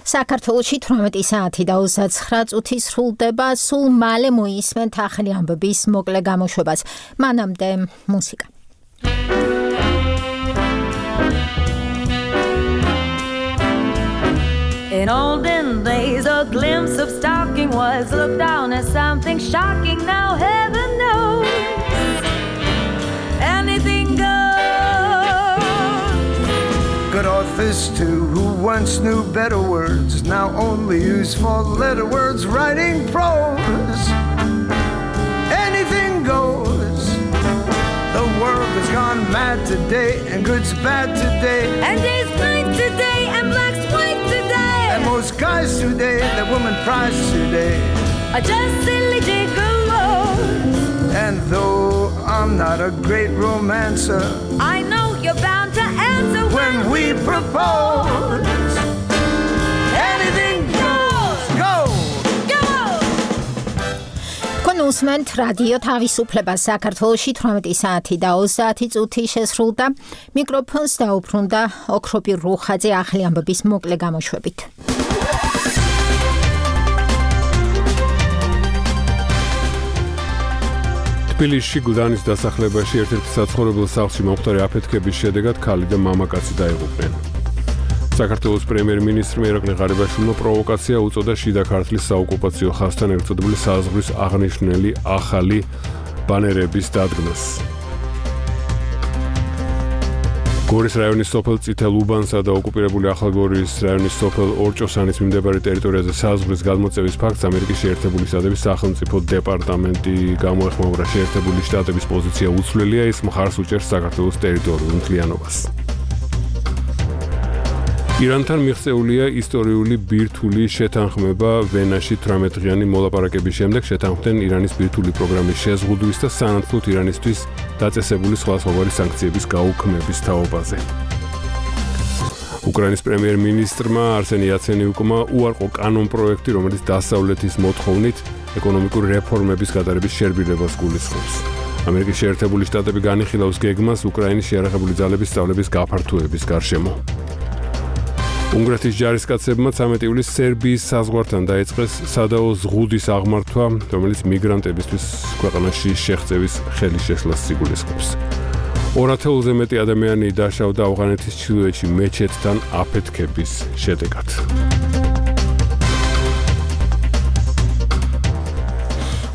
საქართველოში 18 საათი და 29 წუთი სრულდება, სულ მალე მოისმენთ ახალი ამბების მოკლე გამოშვებას. მანამდე მუსიკა. In olden days, a glimpse of stalking was looked down as something shocking. Now heaven knows anything goes. Good old artist who once knew better words, now only used for letter words, writing prose. Anything goes. The world has gone mad today, and good's bad today, and day's night today, and black's white today. And most guys today, that woman prize today, are just silly gigolos. And though I'm not a great romancer, I know you're bound to answer when we propose. Anything goes, go, go. Konusment radio თავისუფლება საქართველოში 18 საათი და 30 წუთი შესრულდა. მიკროფონს დაუბრუნდა ოქროპი რუხაძე ახალი ამბების მოკლე გამოშვებით. თბილისში გუდანის დასახლებაში ერთ-ერთ საცხოვრებელ სახლში მომხდარი აფეთქების შედეგად ქალი და მამაკაცი დაიღუპნენ. საქართველოს პრემიერ-მინისტრმა ირაკლი ღარიბაშვილმა პროვოკაცია უწოდა შიდა ქართლის საოკუპაციო ხაზთან ერთწოდებული საზღვრის აღნიშნული ახალი ბანერების დადგმას. გორის რაიონის სოფელ წითელუბანსა და ოკუპირებული ახალგორის რაიონის სოფელ ორჭოსანის მიმდებარე ტერიტორიაზე საზღვრის გადმოწევის ფაქტს ამერიკის შეერთებული შტატების სახელმწიფო დეპარტამენტი გამოეხმაურა. შეერთებული შტატების პოზიცია უცვლელია, ის მხარს უჭერს საქართველოს ტერიტორიულ მთლიანობას. ირანთან მიღწეულია ისტორიული ბირთვული შეთანხმება ვენაში 18 დღიანი მოლაპარაკების შემდეგ შეთანხმდნენ ირანის ბირთვული პროგრამის შეზღუდვის და სანაცვლოდ ირანისთვის დაწესებული სხვადასხვაგვარი სანქციების გაუქმების თაობაზე. უკრაინის პრემიერ-მინისტრმა არსენი იაცენიუკმა უარყო კანონპროექტი, რომელიც დასავლეთის მოთხოვნით ეკონომიკური რეფორმების გატარების შერბილებას გულისხმობს. ამერიკის შეერთებული შტატები განიხილავს გეგმას უკრაინის შეიარაღებული ძალების სწავლების გაფართოების გარშემო. უნგრეთის ჯარისკაცებმა 13 ივლისს სერბიის საზღვართან დაიწყეს სადაო ზღუდის აღმართვა, რომელიც მიგრანტებისთვის ქვეყანაში შეღწევის ხელის შეშლას სიგულისხმობს. 200-ზე მეტი ადამიანი დაშავდა ავღანეთის ჩრდილოეთში მეჩეთთან აფეთქების შედეგად.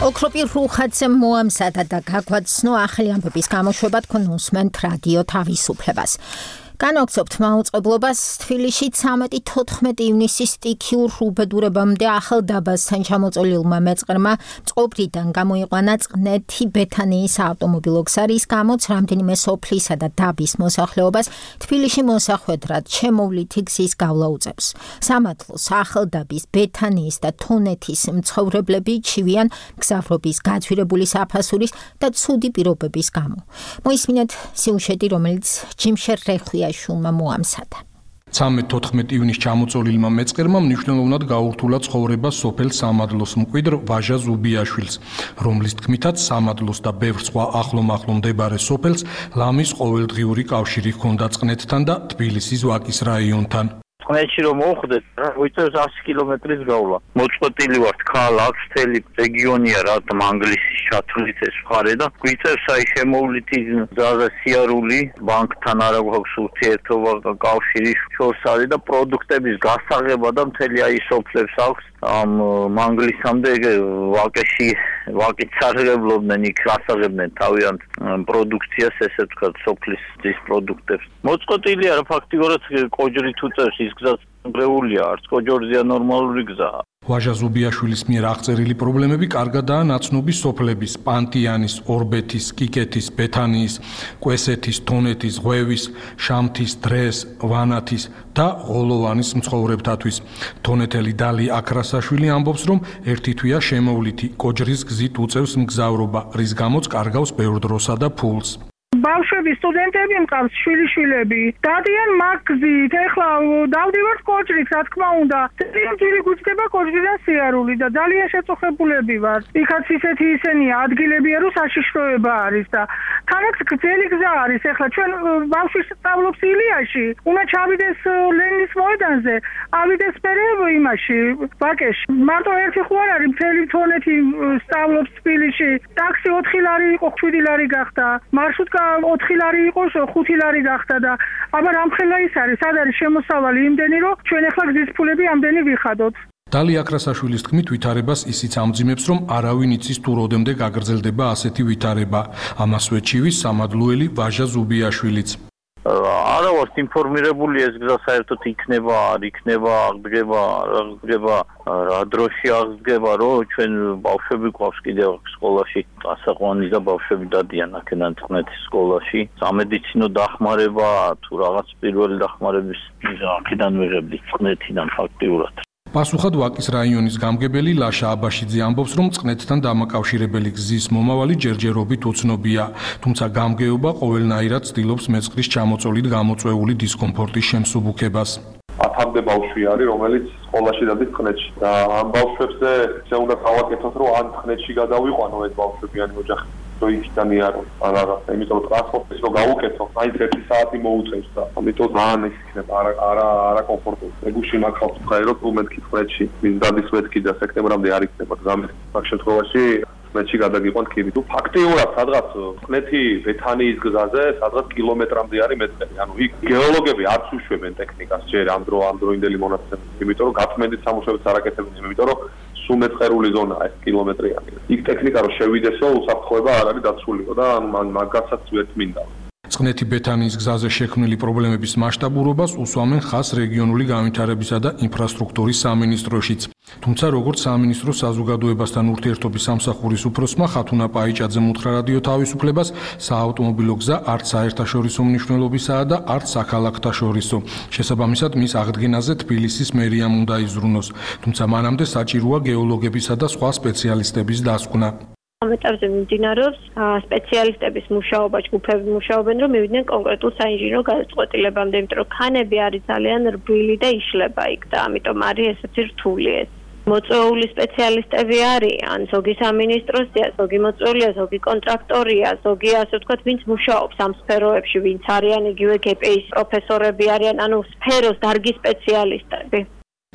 ოქროპი რუხაძემ მოამზადა და გაგვაცნო ახალი ამბების გამოშვება თქვენ უსმენთ რადიო თავისუფლებას. განაგრძობთ მაუწყებლობას თბილისში 13-14 ივნისის სტიქიურ უბედურებამდე ახალდაბასთან ჩამოწოლილმა მეწყერმა წყობრიდან გამოიყვანა წყნეთი ბეთანიის ავტომობილო გზარის გამოც რამდენიმე სოფლისა და დაბის მოსახლეობას თბილისში მოსახვედრად შემოვლითი გზის გავლა უწევს. სამართლოს ახალდაბის ბეთანიის და თონეთის მცხოვრებლები ჩივიან მგზავრობის გაძვირებული საფასურის და ცუდი პირობების გამო. მოისმინეთ სიუჟეტი, რომელიც ჯიმშერ რეხვია შულმა მოამზადა. 13-14 ივნისს ჩამოწოლილმა მეწყერმა მნიშვნელოვნად გაურთულა ცხოვრება სოფელ სამადლოს მკვიდრ ვაჟა ზუბიაშვილს, რომლის თქმითაც სამადლოს და ბევრ სხვა ახლომახლო მდებარე სოფელს ლამის ყოველდღიური კავშირი ჰქონდა წყნეთთან და თბილისის ვაკის რაიონთან. წყნეთში რომ მოვხვდეთ, მოიწევს 100 კილომეტრის გავლა. მოწყვეტილი ვართ, ქალ აქვს მთელი რეგიონია რა მანგლისის ჩათვლით ეს მხარე და გვიწევს აი შემოვლითი ძალზე სიარული, ბანკთან არა გვაქვს ურთიერთობა, კავშირი შორს არის და პროდუქტების გასაღება და მთელი აი სოფლებს აქვს. ამ მანგლისამდე ვაკეში ვაკით სარგებლობდნენ, იქ გასაღებდნენ თავიანთ პროდუქციას, ესე ვთქვათ, სოფლის ძის პროდუქტებს. მოწყვეტილია რა ფაქტიურად კოჯრით უწევს ის გზაც გრეულია, არც კოჯორზია ნორმალური გზაა. ვაჟა ზუბიაშვილის მიერ აღწერილი პრობლემები კარგადაა ნაცნობი სოფლების პანტიანის, ორბეთის, კიკეთის, ბეთანიის, კვესეთის, თონეთის, ღვევის, შამთის, დრეს, ვანათის და ღოლოვანის მცხოვრებთათვის. თონეთელი დალი აკრასაშვილი ამბობს, რომ ერთი თვეა შემოვლითი კოჯრის გზით უწევს მგზავრობა, რის გამოც კარგავს ბევრ დროსა და ფულს. ბავშვები, სტუდენტები მყავს, შვილიშვილები, დადიან მაგზით, ეხლა დავდივართ კოჯრით, რა თქმა უნდა. ძილი გვიჩდება კოჯრიდან სიარული და ძალიან შეწუხებულები ვარ. იქაც ისეთი ისენია, ადგილებია, რომ საშიშროება არის და თანაც გრძელი გზა არის. ეხლა ჩვენ ბავშვი სწავლობს ილიაში, უნდა ჩავიდეს ლენინის მოედანზე, ავიდეს მერე იმაში, ვაკეში. მარტო ერთი ხო არ არის, მთელი თონეთი სწავლობს თბილისში. ტაქსი 4 ლარი იყო, 7 ლარი გახდა. მარშრუტკა 4 ლარი იყო, 5 ლარი გახდა და აბა რამხელა ის არის, სად არის შემოსავალი იმდენი, რომ ჩვენ ახლა გზის ფულები ამდენი ვიხადოთ. დალი აკრასაშვილის თქმით, ვითარებას ისიც ამძიმებს, რომ არავინ იცის თუ როდემდე გაგრძელდება ასეთი ვითარება. ამას ვეჩივის სამადლოელი ვაჟა ზუბიაშვილიც. არა ვართ ინფორმირებული ეს გზა საერთოდ იქნება, არ იქნება, აღდგება, რა დროში აღდგება, რომ ჩვენ ბავშვები გვყავს კიდევ სკოლაში, ასაყვანი და ბავშვები დადიან აქედან წყნეთის სკოლაში. სამედიცინო დახმარება თუ რაღაც პირველი დახმარების აქედან ვიღებდით წყნეთიდან ფაქტიურად. პასუხად ვაკის რაიონის გამგებელი ლაშა აბაშიძე ამბობს, რომ წყნეთთან დამაკავშირებელი გზის მომავალი ჯერჯერობით უცნობია, თუმცა გამგეობა ყოველნაირად ცდილობს მეწყრის ჩამოწოლით გამოწვეული დისკომფორტის შემსუბუქებას. 10-მდე ბავშვი არის, რომელიც სკოლაში დადის წყნეთში. და ამ ბავშვებზე ისე უნდა გავაკეთოთ, რომ ან წყნეთში გადავიყვანო ეს ბავშვებიანი ოჯახი. იქიდან იარო ან რაღაცა, იმიტომ რომ ტრანსპორტის რო გავუკეთო, მაინც 1 საათი მოუწევს და ამიტომ ძალიან ის იქნება არა კომფორტული. ეგუში მაგხავს ხაერო თუ მეთქი წვეთში, მის დადის მეთქი და სექტემბრამდე არ იქნება გზამის. მაგ შემთხვევაში წვეთში გადაგიყვანთ ქიმი. თუ ფაქტიურად სადღაც წვეთი ბეთანიის გზაზე სადღაც კილომეტრამდე არის მეტყელი. ანუ იქ გეოლოგები არც უშვებენ ტექნიკას ჯერ ამ დროინდელი მონაცემებით, იმიტომ რომ გაწმენდით სამუშაოებს არ აკეთებენ, იმიტომ რომ სუმეწყერული ზონაა ეს კილომეტრიანი. იქ ტექნიკა რო შევიდესო, უსაფრთხოება არ არის დაცულიყო და მაგასაც ვერ მინდა. წყნეთი ბეთანიის გზაზე შექმნილი პრობლემების მასშტაბურობას უსვამენ ხაზს რეგიონული განვითარებისა და ინფრასტრუქტურის სამინისტროშიც. თუმცა როგორც სამინისტრო საზოგადოებასთან ურთიერთობის სამსახურის უფროსმა ხათუნა პაიჭაძემ უთხრა რადიო თავისუფლებას, საავტომობილო გზა არც საერთაშორისო მნიშვნელობისაა და არც საქალაქთაშორისო. შესაბამისად, მის აღდგენაზე თბილისის მერიამ უნდა იზრუნოს. თუმცა მანამდე საჭიროა გეოლოგებისა და სხვა სპეციალისტების დასკვნა. ამ ეტაპზე მიმდინარეობს სპეციალისტების მუშაობა, ჯგუფები მუშაობენ, რომ მივიდნენ კონკრეტულ საინჟინრო გადაწყვეტილებამდე, იმიტომ რომ ქანები არის ძალიან რბილი და იშლება იქ და ამიტომ არის ესეთი რთული ეს. მოწვეული სპეციალისტები არის, ან ზოგი სამინისტროსია, ზოგი მოწვეულია, ზოგი კონტრაქტორია, ზოგი ასე ვთქვათ, ვინც მუშაობს ამ სფეროებში, ვინც არიან იგივე გპ-ის პროფესორები არიან, ანუ სფეროს დარგის სპეციალისტები.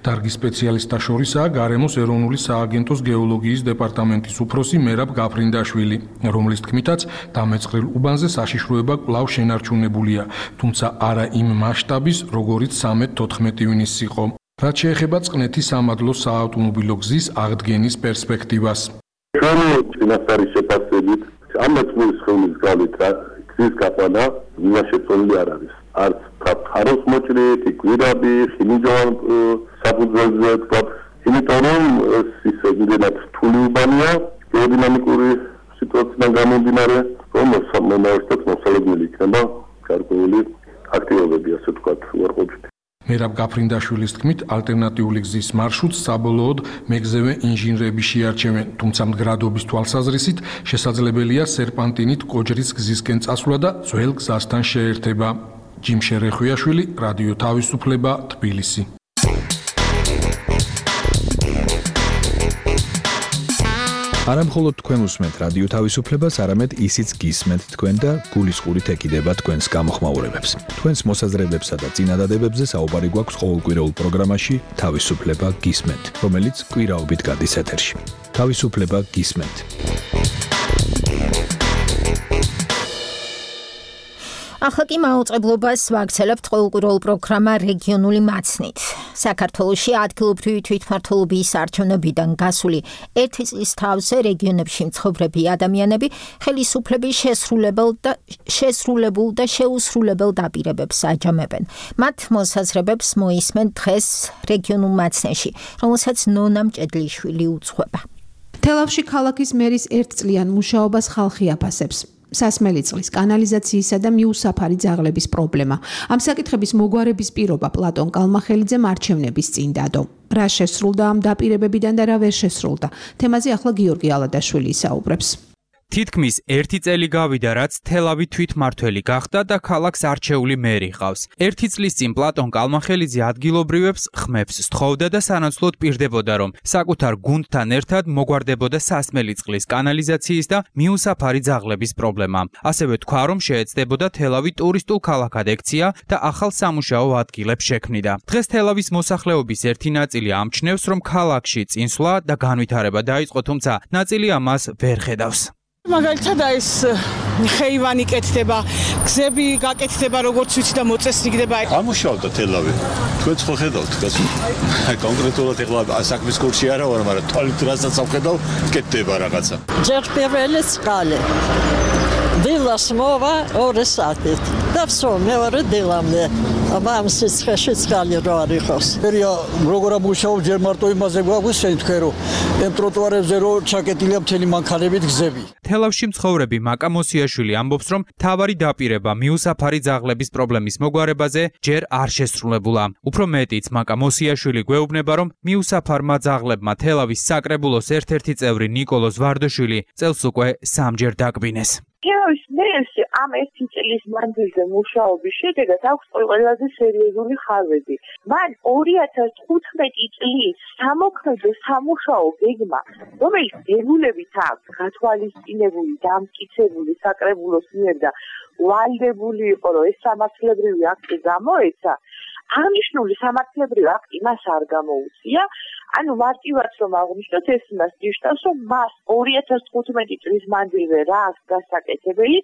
დარგის სპეციალისტთა შორისაა გარემოს ეროვნული სააგენტოს გეოლოგიის დეპარტამენტის უფროსი მერაბ გაფრინდაშვილი, რომლის თქმითაც დამეწყრილ უბანზე საშიშროება კვლავ შენარჩუნებულია, თუმცა არა იმ მასშტაბის, როგორიც 13-14 ივნისს იყო. რაც შეეხება წყნეთის სამადლო საავტომობილო გზის აღდგენის პერსპექტივას. ჩვენი წინასწარი შეფასებით ამ მოწმის ხელის გავლით გზის გაყვანა მიმაშეწონილი არ არის. არც ფაროს მოჭრით, კვირაბი, ხინიჯოვან საფუძველზე ვთქვათ, იმიტომ რომ ის იმდენად რთული უბანია, გეოდინამიკური სიტუაციიდან გამომდინარე, რომ მომავალშიც მოსალოდნელი იქნება გარკვეული აქტივობები, ასე ვთქვათ, უარყოფით. მერაბ გაფრინდაშვილის თქმით, ალტერნატიული გზის მარშრუტს საბოლოოდ მეგზევე ინჟინრები შეარჩევენ, თუმცა მდგრადობის თვალსაზრისით შესაძლებელია სერპანტინით კოჯრის გზისკენ წასვლა და ძველ გზასთან შეერთება. ჯიმ შერეხვიაშვილი, რადიო თავისუფლება, თბილისი. არა მხოლოდ თქვენ უსმენთ რადიო თავისუფლებას, არამედ ისიც გისმენთ თქვენ და გულისყურით ეკიდება თქვენს გამოხმაურებებს. თქვენს მოსაზრებებსა და წინადადებებზე საუბარი გვაქვს ყოველკვირეულ პროგრამაში თავისუფლება გისმენთ, რომელიც კვირაობით გადის ეთერში. თავისუფლება გისმენთ. ახლა კი მაუწყებლობას ვაგრძელებთ ყოველკვირეულ პროგრამა რეგიონული მაცნით. საქართველოში ადგილობრივი თვითმმართველობის არჩევნებიდან გასული 1 წლის თავზე რეგიონებში მცხოვრები ადამიანები ხელისუფლების შესრულებულ და შეუსრულებელ დაპირებებს აჯამებენ. მათ მოსაზრებებს მოისმენ დღეს რეგიონულ მაცნეში, რომელსაც ნონა მჭედლიშვილი უძღვება. თელავში ქალაქის მერის 1 წლიან მუშაობას ხალხი აფასებს. სასმელი წყლის, კანალიზაციისა და მიუსაფარი ძაღლების პრობლემა. ამ საკითხების მოგვარების პირობა პლატონ კალმახელიძემ არჩევნების წინ დადო. რა შესრულდა ამ დაპირებებიდან და რა ვერ შესრულდა? თემაზე ახლა გიორგი ალადაშვილი ისაუბრებს. თითქმის 1 წელი გავიდა, რაც თელავი თვითმმართველი გახდა და ქალაქს არჩეული მერი ყავს. 1 წლის წინ პლატონ კალმახელიძე ადგილობრივებს ხმებს სთხოვდა და სანაცვლოდ პირდებოდა, რომ საკუთარ გუნდთან ერთად მოგვარდებოდა სასმელი წყლის, კანალიზაციის და მიუსაფარი ძაღლების პრობლემა. ასევე თქვა, რომ შეეცდებოდა თელავი ტურისტულ ქალაქად ექცია და ახალ სამუშაო ადგილებს შექმნიდა. დღეს თელავის მოსახლეობის ერთი ნაწილი ამჩნევს, რომ ქალაქში წინსვლა და განვითარება დაიწყო, თუმცა ნაწილი ამას ვერ ხედავს. მაგალითად ეს ხეივანი კეთდება, გზები გაკეთდება, როგორც ვიცი და მოწესრიგდება. ამუშავდა თელავი. თქვენც ხო ხედავთ, კონკრეტულად ეხლა საქმის კურსი არა ვარ, მაგრამ თვალით რასაც ავხედავ, კეთდება რაღაცა. ჯერ პირველი წყალი. დილას მოვა 2 საათით და всё მეორე დილამდე ამ სიცხეში წყალი რო არ იყოს. ერია როგორ ამუშაობ ჯერ მარტო იმაზე გვაქვს შენ თქვენ რომ ამ ტროტუარებზე რო ჩაკეტილია მთელი მანქანებით გზები. თელავში მცხოვრები მაკა მოსიაშვილი ამბობს, რომ თავარი დაპირება მიუსაფარი ძაღლების პრობლემის მოგვარებაზე ჯერ არ შესრულებულა. უფრო მეტიც, მაკა მოსიაშვილი გვეუბნება, რომ მიუსაფარმა ძაღლებმა თელავის საკრებულოს ერთ-ერთი წევრი ნიკოლოზ ვარდოშვილი წელს უკვე 3-ჯერ დაკბინეს. თელავის მერში ამ 1 წლის მანძილზე მუშაობის შედეგად აქვს ყველაზე სერიოზული ხარვები. მან 2015 წლის სამოქმედო სამუშაო გეგმა, რომელიც დებულებით აქვს გათვალისწინებული, დამტკიცებული საკრებულოს მიერ და ვალდებული იყო, რომ ეს სამართლებრივი აქტი გამოეცა, აღნიშნული სამართლებრივი აქტი მას არ გამოუწია. ანუ მარტივად რომ აღნიშნოთ, ეს იმას ნიშნავს, რომ მას 2015 წლის მანძილზე რა აქვს გასაკეთებელი,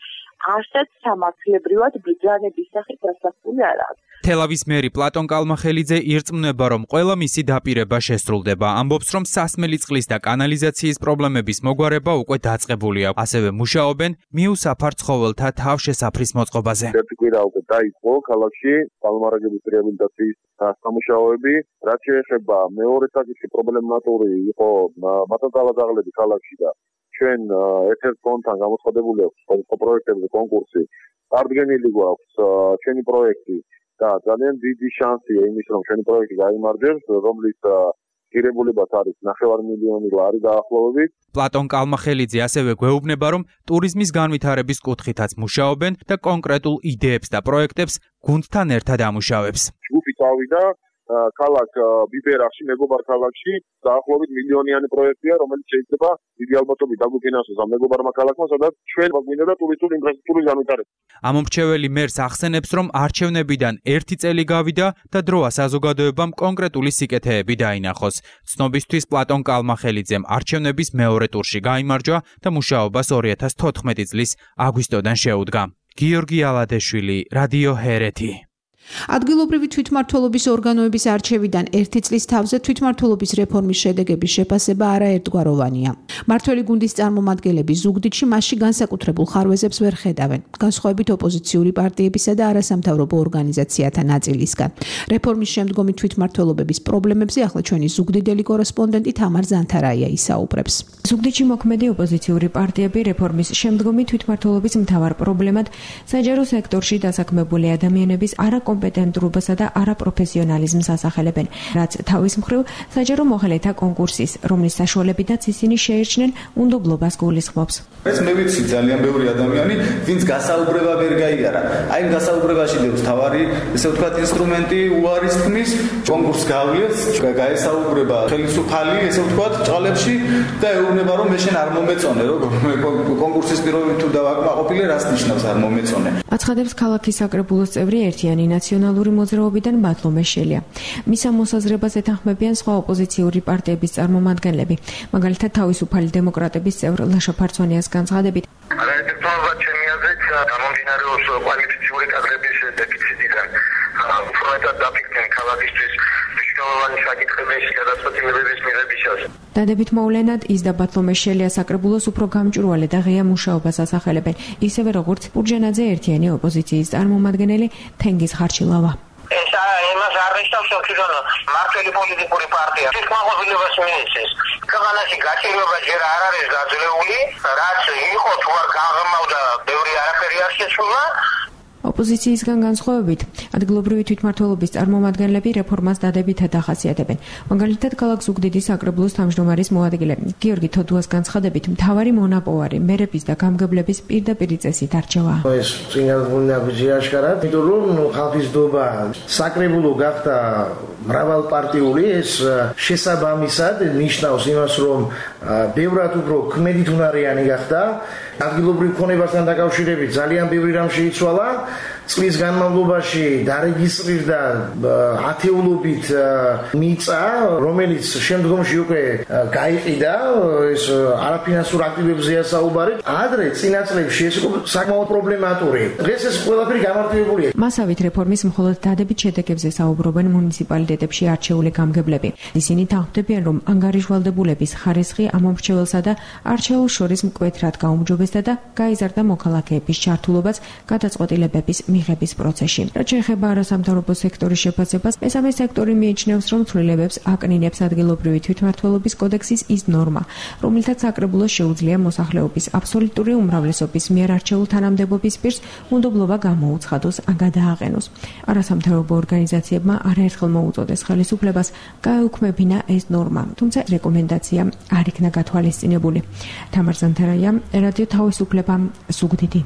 არცად სამართლებრივად ბრძანების სახით დასახული არ აქვს. თელავის მერი პლატონ კალმახელიძე ირწმუნება, რომ ყველა მისი დაპირება შესრულდება. ამბობს, რომ სასმელი წყლის და კანალიზაციის პრობლემების მოგვარება უკვე დაწყებულია. ასევე მუშაობენ მიუსაფარ ცხოველთა თავშესაფრის მოწყობაზე. ერთი კვირა უკვე დაიწყო ქალაქში კალმარაგების რეაბილიტაციის სამუშაოები. რაც შეეხება მეორე საკითხი, პრობლემატური იყო მათანძალა ძაღლები ქალაქში და ჩვენ ერთ-ერთ ფონდთან გამოცხადებული აქვს სხვა პროექტებზე კონკურსი. წარდგენილი გვაქვს ჩვენი პროექტი და ძალიან დიდი შანსია იმის, რომ ჩვენი პროექტი გაიმარჯვებს, რომლის ღირებულებაც არის 9 მილიონი ლარი დაახლოებით. პლატონ კალმახელიძე ასევე გვეუბნება, რომ ტურიზმის განვითარების კუთხითაც მუშაობენ და კონკრეტულ იდეებს და პროექტებს გუნდთან ერთად ამუშავებს. ჯგუფი წავიდა ქალაქ ბიბერახში, მეგობარ ქალაქში, დაახლოებით მილიონიანი პროექტია, რომელიც შეიძლება დიდი ალბათობით დაგვიფინანსოს ამ მეგობარმა ქალაქმა, სადაც ჩვენ გვინდა და ტურისტული ინფრასტრუქტურის განვითარება. ამომრჩეველი მერს ახსენებს, რომ არჩევნებიდან 1 წელი გავიდა და დროა საზოგადოებამ კონკრეტული სიკეთეები დაინახოს. ცნობისთვის პლატონ კალმახელიძემ არჩევნების მეორე ტურში გაიმარჯვა და მუშაობას 2014 წლის აგვისტოდან შეუდგა. გიორგი ალადეშვილი, რადიო ჰერეთი. ადგილობრივი თვითმმართველობის ორგანოების არჩევიდან 1 წლის თავზე თვითმმართველობის რეფორმის შედეგების შეფასება არაერთგვაროვანია. მმართველი გუნდის წარმომადგენლები ზუგდიდში მასში განსაკუთრებულ ხარვეზებს ვერ ხედავენ, განსხვავებით ოპოზიციური პარტიებისა და არასამთავრობო ორგანიზაციათა ნაწილისგან. რეფორმის შემდგომი თვითმმართველობების პრობლემებზე ახლა ჩვენი ზუგდიდელი კორესპონდენტი თამარ ზანთარაია ისაუბრებს. ზუგდიდში მოქმედი ოპოზიციური პარტიები რეფორმის შემდგომი თვითმმართველობის მთავარ პრობლემად საჯარო სექტორში დასაქმებული ადამიანების არაკომპეტენტურობასა და არაპროფესიონალიზმს ასახელებენ, რაც თავის მხრივ საჯარო მოხელეთა კონკურსის, რომლის საშუალებითაც ისინი შეერჩნენ უნდობლობას გულისხმობს. ეს მე ვიცი ძალიან ბევრი ადამიანი, ვინც გასაუბრება ვერ გაიარა. აი გასაუბრებაში დევს თავარი, ესე ვთქვათ, ინსტრუმენტი უარის თქმის, კონკურსს გავლიეთ, გაესაუბრება ხელისუფალი, ესე ვთქვათ, ჭყალებში და ეუბნება, რომ მე შენ არ მომეწონე, რომ კონკურსის პირობები თუ დავაკმაყოფილე, რას ნიშნავს არ მომეწონე. აცხადებს ქალაქის საკრებულოს წევრი ერთიანი ნაციონალური მოძრაობიდან ბათლომე შელია. მის ამ მოსაზრებას ეთანხმებიან სხვა ოპოზიციური პარტიების წარმომადგენლები, მაგალითად თავისუფალი დემოკრატების წევრ ლაშა ფარცონიას განცხადებით. არაერთგვაროვანია ჩემი აზრით, გამომდინარეობს კვალიფიციური კადრების დეფიციტიდან. უფრო დაფიქრდნენ ქალაქისთვის მნიშვნელოვანი საკითხების გადაწყვეტილებების მიღებისას. დადებით მოვლენად ის და ბათლომე შელია საკრებულოს უფრო გამჭვირვალე და ღია მუშაობას ასახელებენ, ისევე როგორც პურჯანაძე ერთიანი ოპოზიციის წარმომადგენელი თენგიზ ხარჩილავა. ეს იმას არ ნიშნავს, რომ მართალი პოლიტიკური პარტია თვითმაყოფილებას მიეცეს. ქვეყანაში გაჭირვება ჯერ არ არის გაძლეული, რაც იყო თუ არ გაღრმავდა, ბევრი არაფერი არ შეცვლა. ოპოზიციისგან განსხვავებით, ადგილობრივი თვითმმართველობის წარმომადგენლები რეფორმას დადებითად ახასიათებენ. მაგალითად, ქალაქ ზუგდიდის საკრებულოს თავმჯდომარის მოადგილე გიორგი თოდუას განცხადებით, მთავარი მონაპოვარი მერების და გამგებლების პირდაპირი წესით არჩევა. ეს წინასწარ აღიარაშკარად, იმიტომ რომ ხალხისდობა საკრებულო გახდა მრავალპარტიული, ეს შესაბამისად ნიშნავს იმას, რომ ბევრად უფრო ქმედითუნარიანი გახდა. ადგილობრივ ქონებასთან დაკავშირებით ძალიან ბევრი რამ შეიცვალა. წლის განმავლობაში დარეგისტრირდა ათეულობით მიწა, რომელიც შემდგომში უკვე გაიყიდა, ეს არაფინანსურ აქტივებზეა საუბარი. ადრე წინა წლებში ეს იყო საკმაოდ პრობლემატური. დღეს ეს ყველაფერი გამარტივებულია. მასავით რეფორმის მხოლოდ დადებით შედეგებზე საუბრობენ მუნიციპალიტეტებში არჩეული გამგებლები. ისინი თანხმდებიან, რომ ანგარიშვალდებულების ხარისხი ამ მომრჩეველსა და არჩეულს შორის მკვეთრად გაუმჯობესდა და გაიზარდა მოქალაქეების ჩართულობაც გადაწყვეტილებების მიღების პროცესში. რაც შეეხება არასამთავრობო სექტორის შეფასებას, მესამე სექტორი მიიჩნევს, რომ ცვლილებებს აკნინებს ადგილობრივი თვითმმართველობის კოდექსის ის ნორმა, რომლითაც საკრებულოს შეუძლია მოსახლეობის აბსოლუტური უმრავლესობის მიერ არჩეულ თანამდებობის პირს უნდობლობა გამოუცხადოს ან გადააყენოს. არასამთავრობო ორგანიზაციებმა არაერთხელ მოუწოდეს ხელისუფლებას გაეუქმებინა ეს ნორმა, თუმცა რეკომენდაცია არ იქნა გათვალისწინებული. თამარ ზანთარაია, რადიო თავისუფლება, ზუგდიდი.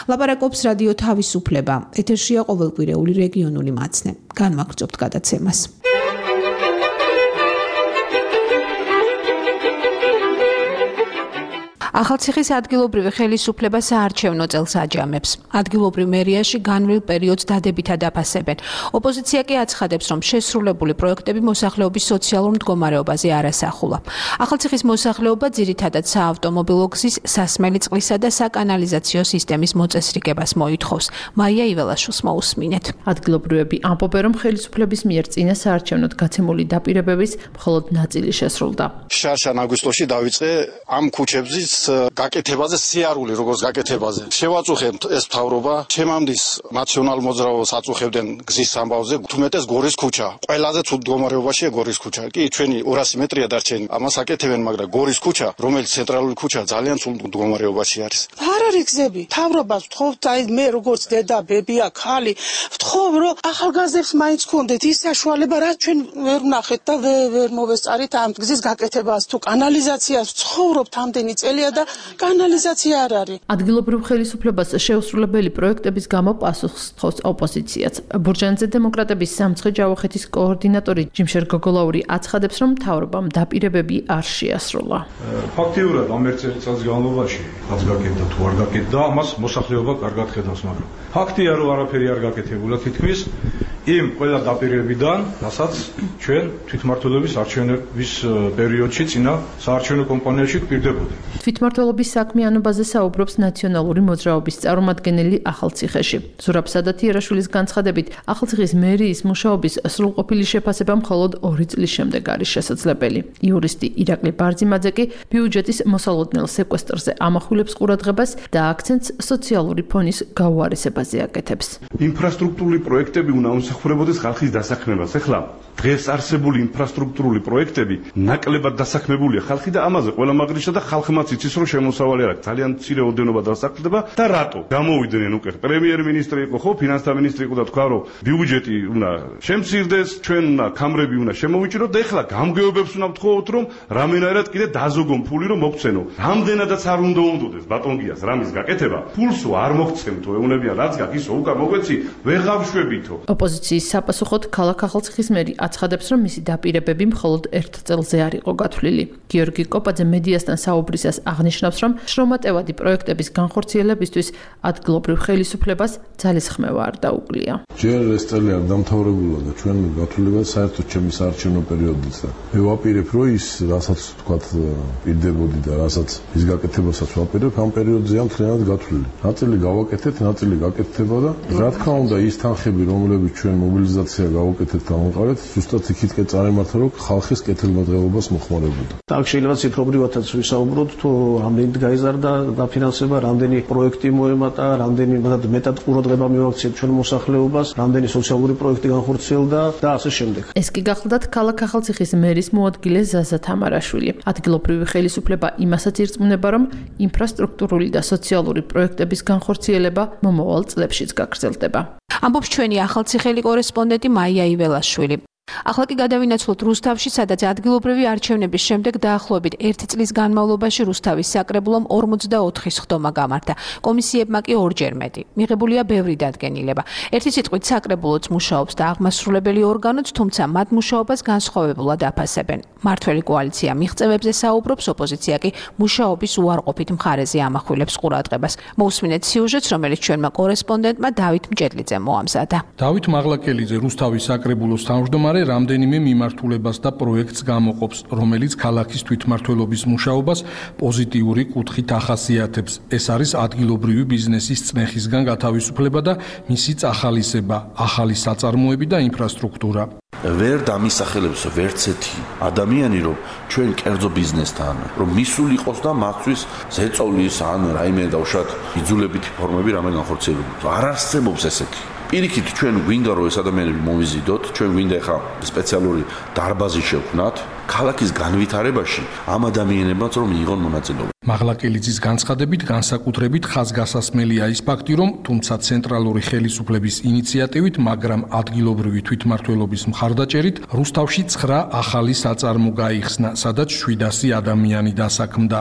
ლაპარაკობს რადიო თავისუფლება. ეთერშია ყოველკვირეული რეგიონული მაცნე. განვაგრძობთ გადაცემას. ახალციხის ადგილობრივი ხელისუფლება საარჩევნო წელს აჯამებს. ადგილობრივ მერიაში განვლილ პერიოდს დადებითად აფასებენ. ოპოზიცია კი აცხადებს, რომ შესრულებული პროექტები მოსახლეობის სოციალურ მდგომარეობაზე არ ასახულა. ახალციხის მოსახლეობა ძირითადად საავტომობილო გზის, სასმელი წყლისა და საკანალიზაციო სისტემის მოწესრიგებას მოითხოვს. მაია იველაშვილს მოусმინეთ. ადგილობრივები ამბობენ, რომ ხელისუფლების მიერ წინა საარჩევნოდ გაცემული დაპირებების მხოლოდ ნაწილი შესრულდა. შარშან აგვისტოში დავიწყე ამ ქუჩებზე გაკეთებაზე, სიარული როგორც გაკეთებაზე. შევაწუხებთ ეს მთავრობა, ჩემამდის ნაციონალ მოძრაობას აწუხებდნენ გზის ამბავზე, თუმეტეს გორის ქუჩა. ყველაზე ცუდ მდგომარეობაშია გორის ქუჩა. კი, ჩვენი 200 მეტრია დარჩენილი. ამას აკეთებენ, მაგრამ გორის ქუჩა, რომელიც ცენტრალური ქუჩა, ძალიან ცუდ მდგომარეობაში არის. არ არის გზები. მთავრობას ვთხოვთ, აი მე როგორც დედა, ბებია, ხალი, ვთხოვ, რომ ახალგაზრდებს მაინც გქონდეთ ის საშუალება, რაც ჩვენ ვერ ვნახეთ და ვერ მოვესწარით ამ გზის გაკეთებას. თუ კანალიზაციას ვცხოვრობთ ამდენი წელია და კანალიზაცია არ არის. ადგილობრივ ხელისუფლებას შეუსრულებელი პროექტების გამო პასუხს თხოვს ოპოზიციაც. ბურჯანძე დემოკრატების სამცხე ჯავახეთის კოორდინატორი ჯიმშერ გოგოლაური აცხადებს, რომ მთავრობამ დაპირებები არ შეასრულა. ფაქტიურად ამ ერთ წელს განმავლობაში რაც გაკეთდა თუ არ გაკეთდა, ამას მოსახლეობა კარგად ხედავს, მაგრამ ფაქტია, რომ არაფერი არ გაკეთებულა თითქმის იმ ყველა დაპირებებიდან, რასაც ჩვენ თვითმმართველობის არჩევნების პერიოდში წინა საარჩევნო კამპანიაში გვპირდებოდა. თვითმმართველობის საქმიანობაზე საუბრობს ნაციონალური მოძრაობის წარმომადგენელი ახალციხეში. ზურაბ სადათიერაშვილის განცხადებით, ახალციხის მერიის მუშაობის სრულყოფილი შეფასება მხოლოდ 2 წლის შემდეგ არის შესაძლებელი. იურისტი ირაკლი ბარძიმაძე კი ბიუჯეტის მოსალოდნელ სეკვესტრზე ამახვილებს ყურადღებას და აქცენტს სოციალური ფონის გაუარესებაზე აკეთებს. ინფრასტრუქტურული პროექტები უნდა უსახურებოდეს ხალხის დასაქმებას. ეხლა დღეს არსებული ინფრასტრუქტურული პროექტები ნაკლებად დასაქმებულია ხალხი და ამაზე ყველა მაგრიშა და ხალხმაც იცის, რომ შემოსავალი არ აქვს. ძალიან მცირე ოდენობა დასაქმდება და რატო? გამოვიდნენ უკვე პრემიერ-მინისტრი იყო, ხო, ფინანსთა მინისტრი იყო და თქვა, რომ ბიუჯეტი უნდა შემცირდეს, ჩვენ უნდა კამრები უნდა შემოვიჭროთ და ეხლა გამგეობებს უნდა ვთხოვოთ, რომ რამენაირად კიდე დაზოგონ ფული, რომ მოგცენო. რამდენადაც არ უნდა უნდოდეს ბატონგიას რამის გაკეთება, ფულსო არ მოგცემთო, ეუნებიან რაც გაქვს ისო უკან მოგვეცი, ვეღარ შვებითო. ოპოზიციის საპასუხოდ ქალაქ ახალციხის მერი აცხადებს, რომ მისი დაპირებები მხოლოდ 1 წელზე არ იყო გათვლილი. გიორგი კოპაძე მედიასთან საუბრისას აღნიშნავს, რომ შრომატევადი პროექტების განხორციელებისთვის ადგილობრივ ხელისუფლებას ძალისხმევა არ დაუკლია. ჯერ ეს წელი არ დამთავრებულა და ჩვენ გათვლილება საერთოდ ჩემი საარჩევნო პერიოდიც და მე ვაპირებ, რომ ის რასაც თქვათ პირდებოდი და რასაც ის გაკეთებასაც ვაპირებ, ამ პერიოდზეა მთლიანად გათვლილი. ნაწილი გავაკეთეთ, ნაწილი გაკეთდება და რა თქმა უნდა ის თანხები, რომლებიც ჩვენ მობილიზაცია გავაკეთეთ და ამყარეთ, ზუსტად იქითკენ წარიმართა, რომ ხალხის კეთილმოდელობას მოხმარებოდა. აქ შეიძლება ციფრობრივადაც ვისაუბროთ, თუ რამდენით გაიზარდა დაფინანსება, რამდენი პროექტი მოემატა, რამდენი მეტად ყურადღება მივაქციეთ ჩვენ მოსახლეობას, რამდენი სოციალური პროექტი განხორციელდა და ასე შემდეგ. ეს კი გახლდათ ქალაქ ახალციხის მერის მოადგილე ზაზა თამარაშვილი. ადგილობრივი ხელისუფლება იმასაც ირწმუნება, რომ ინფრასტრუქტურული და სოციალური პროექტების განხორციელება მომავალ წლებშიც გაგრძელდება. ამბობს ჩვენი ახალციხელი კორესპონდენტი მაია იველაშვილი. ახლა კი გადავინაცვლოთ რუსთავში, სადაც ადგილობრივი არჩევნების შემდეგ დაახლოებით 1 წლის განმავლობაში რუსთავის საკრებულომ 44 სხდომა გამართა. კომისიებმა კი 2-ჯერ მეტი. მიღებულია ბევრი დადგენილება. ერთი სიტყვით საკრებულოც მუშაობს და აღმასრულებელი ორგანოც, თუმცა მათ მუშაობას განსხვავებულად აფასებენ. მართველი კოალიცია მიღწევებზე საუბრობს, ოპოზიცია კი მუშაობის უარყოფით მხარეზე ამახვილებს ყურადღებას. მოусმინეთ სიუჟეტს, რომელიც ჩვენმა კორესპონდენტმა დავით მჭედლიძემ მოამზადა. დავით მაღლაკელიძე რუსთავის საკრებულოს თავმჯდომარე რამდენიმე მიმართულებას და პროექტს გამოყოფს, რომელიც ქალაქის თვითმმართველობის მუშაობას პოზიტიური კუთხით ახასიათებს. ეს არის ადგილობრივი ბიზნესის წნეხისგან გათავისუფლება და მისი წახალისება, ახალი საწარმოები და ინფრასტრუქტურა. ვერ დამისახელებს ვერცეთი ადამიანი, რომ ჩვენ კერძო ბიზნესთან, რომ მისული იყოს და მათთვის ზეწოლის ან რაიმე დავშათ იძულებითი ფორმები რამე განხორციელებული. არ არსებობს ესეთი. პირიქით ჩვენ გვინდა რომ ეს ადამიანები მოვიზიდოთ, ჩვენ გვინდა ხა სპეციალური დარბაზი შევქმნათ ქალაქის განვითარებაში ამ ადამიანებმაც რომ მიიღონ მონაწილეობა. მაღლაკელიძის განცხადებით განსაკუთრებით ხაზგასასმელია ის ფაქტი, რომ თუმცა ცენტრალური ხელისუფლების ინიციატივით, მაგრამ ადგილობრივი თვითმმართველობის მხარდაჭერით რუსთავში 9 ახალი საწარმო გაიხსნა, სადაც 700 ადამიანი დასაქმდა.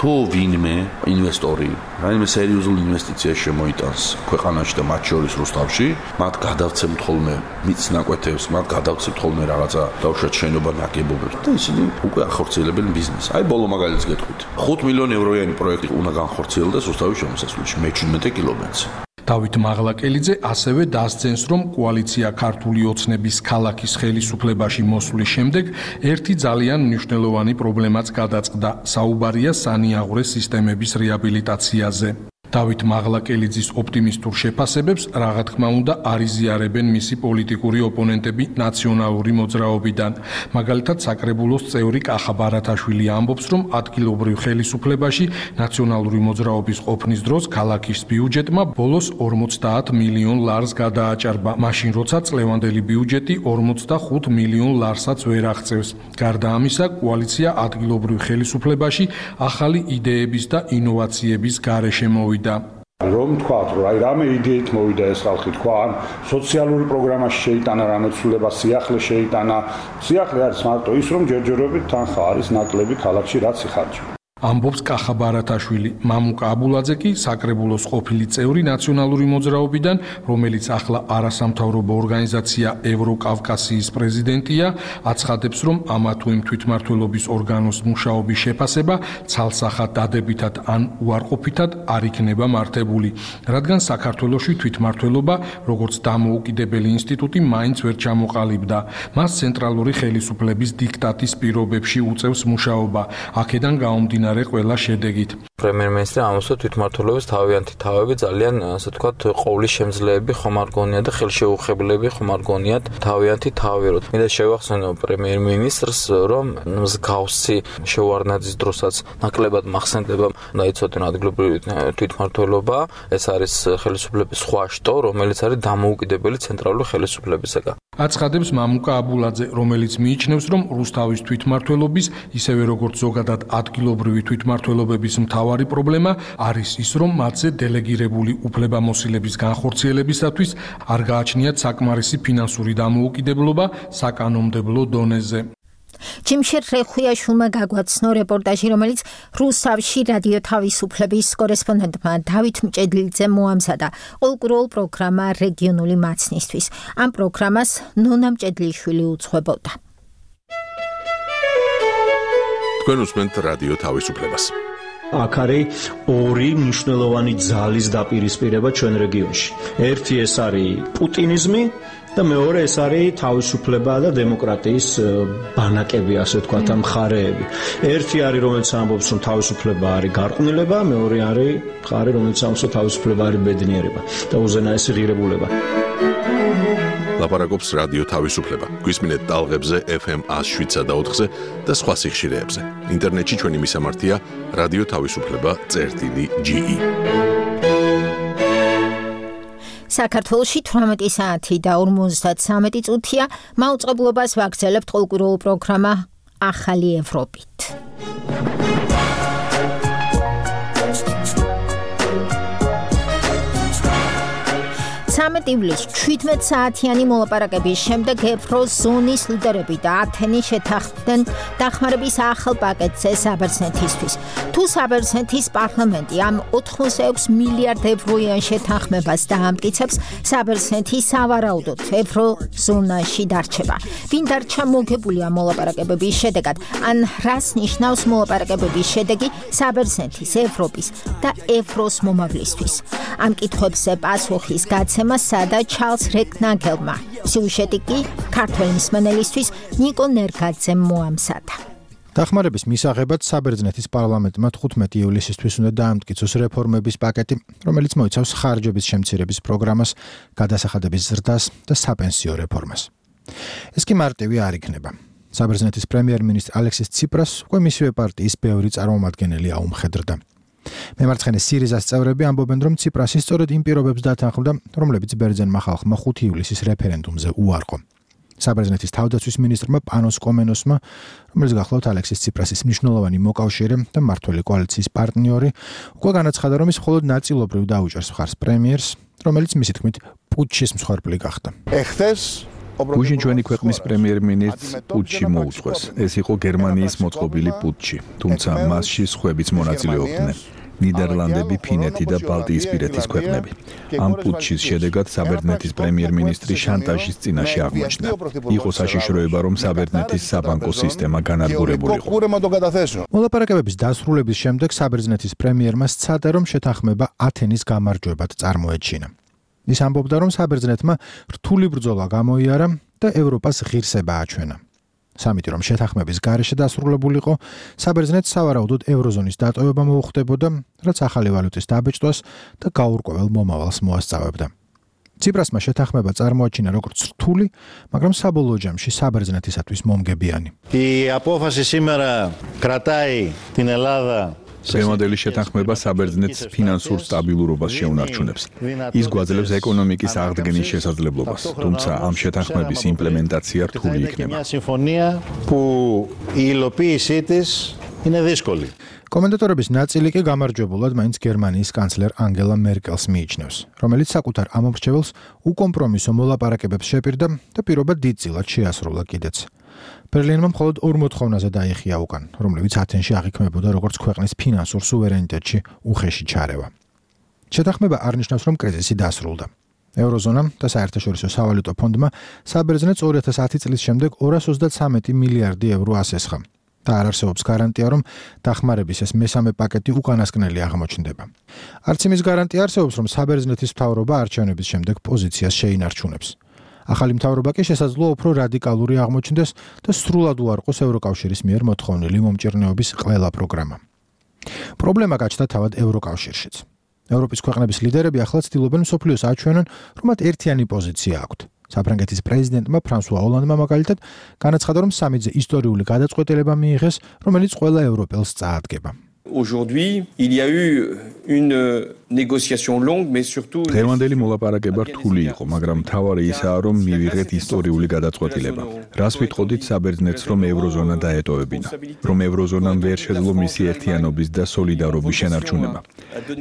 თუ ვინმე ინვესტორი რაიმე სერიოზულ ინვესტიციას შემოიტანს ქვეყანაში და მათ შორის რუსთავში, მათ გადავცემთ ხოლმე მიწნაკვეთებს, მათ გადავცემთ ხოლმე რაღაცა დავუშვათ შენობა ნაგებობებს და ისინი უკვე ახორციელებენ ბიზნესს. აი ბოლო მაგალითს გეტყვით. 5 მილიონი ევროიანი პროექტი უნდა განხორციელდეს რუსთავის შემოსასვლელში მე-17 კილომეტრზე. დავით მაღლაკელიძე ასევე დასძენს, რომ კოალიცია ქართული ოცნების ქალაქის ხელისუფლებაში მოსვლის შემდეგ ერთი ძალიან მნიშვნელოვანი პრობლემაც გადაწყდა. საუბარია სანიაღვრე სისტემების რეაბილიტაციაზე. დავით მაღლაკელიძის ოპტიმისტურ შეფასებებს, რა თქმა უნდა, არიზიარებენ მისი პოლიტიკური ოპონენტები ნაციონალური მოძრაობიდან. მაგალითად, საკრებულოს წევრი კახა ბარათაშვილი ამბობს, რომ ადგილობრივ ხელისუფლებაში ნაციონალური მოძრაობის ყოფნის დროს ქალაქის ბიუჯეტმა ბოლოს 50 მილიონ ლარს გადააჭარბა, მაშინ როცა წლევანდელი ბიუჯეტი 45 მილიონ ლარსაც ვერ აღწევს. გარდა ამისა, კოალიცია ადგილობრივ ხელისუფლებაში ახალი იდეების და ინოვაციების გარეშე მოვიდა. რომ თქვათ, რომ აი რამე იდეით მოვიდა ეს ხალხი, თქვა, ან სოციალური პროგრამაში შეიტანა რამე ცვლილება, სიახლე შეიტანა. სიახლე არის მარტო ის, რომ ჯერჯერობით თანხა არის ნაკლები ქალაქში, რაც იხარჯება. ამბობს კახა ბარათაშვილი. მამუკა აბულაძე კი საკრებულოს ყოფილი წევრი ნაციონალური მოძრაობიდან, რომელიც ახლა არასამთავრობო ორგანიზაცია ევროკავკასიის პრეზიდენტია, აცხადებს, რომ ამა თუ იმ თვითმმართველობის ორგანოს მუშაობის შეფასება ცალსახად დადებითად ან უარყოფითად არ იქნება მართებული, რადგან საქართველოში თვითმმართველობა, როგორც დამოუკიდებელი ინსტიტუტი, მაინც ვერ ჩამოყალიბდა. მას ცენტრალური ხელისუფლების დიქტატის პირობებში უწევს მუშაობა. აქედან გაუმდინარე ყველა შედეგით. პრემიერ-მინისტრი ამოსა თვითმმართველობის თავიანთი თავები ძალიან, ასე ვთქვათ, ყოვლის შემძლეები ხომ არ გონიათ და ხელშეუხებლები ხომ არ გონიათ თავიანთი თავი. მინდა შევახსენო პრემიერ-მინისტრს, რომ მსგავსი შევარდნაძის დროსაც ნაკლებად მახსენდება და იცოდნენ ადგილობრივი თვითმმართველობა. ეს არის ხელისუფლების სხვა შტო, რომელიც არის დამოუკიდებელი ცენტრალური ხელისუფლებისაგან. აცხადებს მამუკა აბულაძე, რომელიც მიიჩნევს, რომ რუსთავის თვითმმართველობის, ისევე როგორც ზოგადად ადგილობრივი თვითმმართველობების მთავარი პრობლემა არის ის, რომ მათზე დელეგირებული უფლებამოსილების განხორციელებისათვის არ გააჩნიათ საკმარისი ფინანსური დამოუკიდებლობა საკანონმდებლო დონეზე. ჯიმშერ რეხუიაშვილმა გაგვაცნო რეპორტაჟი, რომელიც რუსთავში რადიო თავისუფლების კორესპონდენტმა დავით მჭედლიძემ მოამზადა. ყოველკვირეულ პროგრამა რეგიონული მაცნისთვის. ამ პროგრამას ნონა მჭედლიშვილი უძღვებოდა. თქვენ უსმენთ რადიო თავისუფლებას. აქ არის ორი მნიშვნელოვანი ძალის დაპირისპირება ჩვენ რეგიონში. ერთი ეს არის პუტინიზმი და მეორე ეს არის თავისუფლება და დემოკრატიის ბანაკები, ასე ვთქვათ, მხარეები. ერთი არის, რომელიც ამბობს, რომ თავისუფლება არის გარყვნილება, მეორე არის მხარე, რომელიც ამბობს, რომ თავისუფლება არის ბედნიერება და უზენაესი ღირებულება. ლაპარაკობს რადიო თავისუფლება. გვისმინეთ ტალღებზე FM 107.4-ზე და სხვა სიხშირეებზე. ინტერნეტში ჩვენი მისამართია რადიო თავისუფლება.ge. საქართველოში 18 საათი და 53 წუთია. მაუწყებლობას ვაგრძელებთ ყოველკვირეულ პროგრამა ახალი ევროპით. 13 ივლისს 17 საათიანი მოლაპარაკების შემდეგ ევროზონის ლიდერები და ათენი შეთანხმდნენ დახმარების ახალ პაკეტზე საბერძნეთისთვის. თუ საბერძნეთის პარლამენტი ამ 86 მილიარდ ევროიან შეთანხმებას დაამტკიცებს, საბერძნეთი სავარაუდოდ ევროზონაში დარჩება. ვინ დარჩა მოგებული ამ მოლაპარაკებების შედეგად? ან რას ნიშნავს მოლაპარაკებების შედეგი საბერძნეთის, ევროპის და ევროს მომავლისთვის? ამ კითხვებზე პასუხის გაცემა სადა ჩარლს რეკნაგელმა. სიუჟეტი კი ქართველი მსმენელისთვის ნიკო ნერგაძემ მოამზადა. დახმარების მისაღებად საბერძნეთის პარლამენტმა 15 ივლისისთვის უნდა დაამტკიცოს რეფორმების პაკეტი, რომელიც მოიცავს ხარჯების შემცირების პროგრამას, გადასახადების ზრდას და საპენსიო რეფორმას. ეს კი მარტივი არ იქნება. საბერძნეთის პრემიერ-მინისტრ ალექსის ციპრას უკვე მისივე პარტიის ბევრი წარმომადგენელი აუმხედრდა. მემარცხენე სირიზას წევრები ამბობენ, რომ ციპრასი სწორედ იმ პირობებს დათანხმდა, რომლებიც ბერძენმა ხალხმა 5 ივლისის რეფერენდუმზე უარყო. საბერძნეთის თავდაცვის მინისტრმა პანოს კომენოსმა, რომელიც გახლავთ ალექსის ციპრასის მნიშვნელოვანი მოკავშირე და მმართველი კოალიციის პარტნიორი, უკვე განაცხადა, რომ ის მხოლოდ ნაწილობრივ დაუჭერს მხარს პრემიერს, რომელიც მისი თქმით პუტჩის მსხვერპლი გახდა. გუშინ ჩვენი ქვეყნის პრემიერ-მინისტრს პუტჩი მოუწყვეს. ეს იყო გერმანიის მოწყობილი პუტჩი, თუმცა მასში სხვებიც მონაწილეობდნენ. ნიდერლანდები, ფინეთი და ბალტიისპირეთის ქვეყნები. ამ პუტჩის შედეგად საბერძნეთის პრემიერ-მინისტრი შანტაჟის წინაშე აღმოჩნდა. იყო საშიშროება, რომ საბერძნეთის საბანკო სისტემა განადგურებულიყო. მოლაპარაკებების დასრულების შემდეგ საბერძნეთის პრემიერმა სცადა, რომ შეთანხმება ათენის გამარჯვებად წარმოეჩინა. ის ამბობდა, რომ საბერძნეთმა რთული ბრძოლა გამოიარა და ევროპას ღირსება აჩვენა. სამიტი რომ შეთანხმების გარეშე დასრულებულიყო, საბერძნეთს სავარაუდოდ ევროზონის დატოვება მოუხდებოდა, რაც ახალი ვალუტის დაბეჭდვას და გაურკვეველ მომავალს მოასწავებდა. ციპრასმა შეთანხმება წარმოაჩინა როგორც რთული, მაგრამ საბოლოო ჯამში საბერძნეთისათვის მომგებიანი. Η απόφαση σήμερα κρατάει την Ελλάδα დღევანდელი შეთანხმება საბერძნეთს ფინანსურ სტაბილურობას შეუნარჩუნებს. ის გვაძლევს ეკონომიკის აღდგენის შესაძლებლობას, თუმცა ამ შეთანხმების იმპლემენტაცია რთული იქნება. კომენტატორების ნაწილი კი გამარჯვებულად მაინც გერმანიის კანცლერ ანგელა მერკელს მიიჩნევს, რომელიც საკუთარ ამორჩეველს უკომპრომისო მოლაპარაკებებს შეპირდა და პირობა დიდწილად შეასრულა კიდეც. ბერლინმა მხოლოდ 2 მოთხოვნაზე დაიხია უკან, რომლებიც ათენში აღიქმებოდა როგორც ქვეყნის ფინანსურ სუვერენიტეტში უხეში ჩარევა. შეთანხმება არ ნიშნავს, რომ კრიზისი დასრულდა. ევროზონამ და საერთაშორისო სავალუტო ფონდმა საბერძნეთს 2010 წლის შემდეგ 233 მილიარდი ევრო ასესხა და არ არსებობს გარანტია, რომ დახმარების ეს მესამე პაკეტი უკანასკნელი აღმოჩნდება. არც იმის გარანტია არსებობს, რომ საბერძნეთის მთავრობა არჩევნების შემდეგ პოზიციას შეინარჩუნებს. ახალი მთავრობა კი შესაძლოა უფრო რადიკალური აღმოჩნდეს და სრულად უარყოს ევროკავშირის მიერ მოთხოვნილი მომჭირნეობის ყველა პროგრამა. პრობლემა გაჩნდა თავად ევროკავშირშიც. ევროპის ქვეყნების ლიდერები ახლა ცდილობენ მსოფლიოს აჩვენონ, რომ მათ ერთიანი პოზიცია აქვთ. საფრანგეთის პრეზიდენტმა ფრანსუა ოლანდმა მაგალითად განაცხადა, რომ სამიტზე ისტორიული გადაწყვეტილება მიიღეს, რომელიც ყველა ევროპელს წაადგება. Aujourd'hui, il y a eu une négociation longue, mais surtout დღევანდელი მოლაპარაკება რთული იყო, მაგრამ მთავარი ისაა, რომ მივიღეთ ისტორიული გადაწყვეტილება. რას ვიტყოდით საბერძნეთს, რომ ევროზონა დაეტოვებინა, რომ ევროზონამ ვერ შეძლო მისი ერთიანობის და სოლიდარობის შენარჩუნება.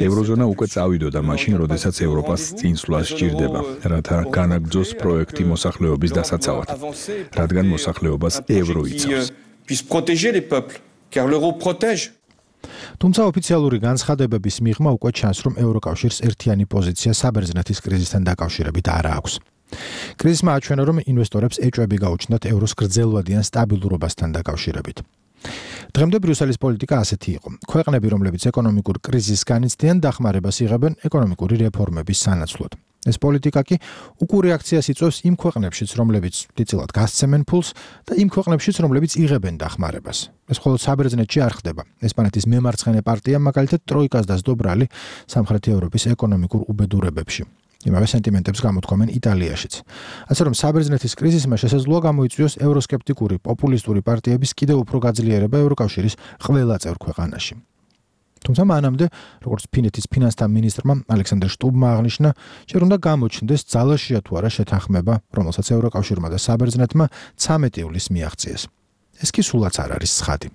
ევროზონა უკვე წავიდოდა მაშინ, როდესაც ევროპას წინსვლა სჭირდება, რათა განაგრძოს პროექტი მოსახლეობის დასაცავად, რადგან მოსახლეობას ევრო იცავს. Puisse protéger les peuples, car l'euro protège. თუმცა ოფიციალური განცხადებების მიღმა უკვე ჩანს, რომ ევროკავშირს ერთიანი პოზიცია საბერძნეთის კრიზისთან დაკავშირებით არ აქვს. კრიზისმა აჩვენა, რომ ინვესტორებს ეჭვები გაუჩნდათ ევროს გრძელვადიან სტაბილურობასთან დაკავშირებით. დღემდე ბრიუსელის პოლიტიკა ასეთი იყო. ქვეყნები, რომლებიც ეკონომიკურ კრიზისს განიცდიან, დახმარებას იღებენ ეკონომიკური რეფორმების სანაცვლოდ. ეს პოლიტიკა კი უკუ რეაქციას იწვევს იმ ქვეყნებშიც, რომლებიც დიდწილად გასცემენ ფულს და იმ ქვეყნებშიც, რომლებიც იღებენ დახმარებას. ეს მხოლოდ საბერძნეთში არ ხდება. ესპანეთის მემარცხენე პარტია მაგალითად ტროიკას დასდობრალი სამხრეთ ევროპის ეკონომიკურ უბედურებებში. იმავე სენტიმენტებს გამოთქვამენ იტალიაშიც. ასე რომ საბერძნეთის კრიზისმა შესაძლოა გამოიწვიოს ევროსკეპტიკური პოპულისტური პარტიების კიდევ უფრო გაძლიერება ევროკავშირის ყველა წევრ ქვეყანაში. თუმცა მანამდე, როგორც ფინეთის ფინანსთა მინისტრმა ალექსანდრ შტუბმა აღნიშნა, ჯერ უნდა გამოჩნდეს ძალაშია თუ არა შეთანხმება, რომელსაც ევროკავშირმა და საბერძნეთმა 13 ივლისს მიაღწიეს. ეს კი სულაც არ არის ცხადი.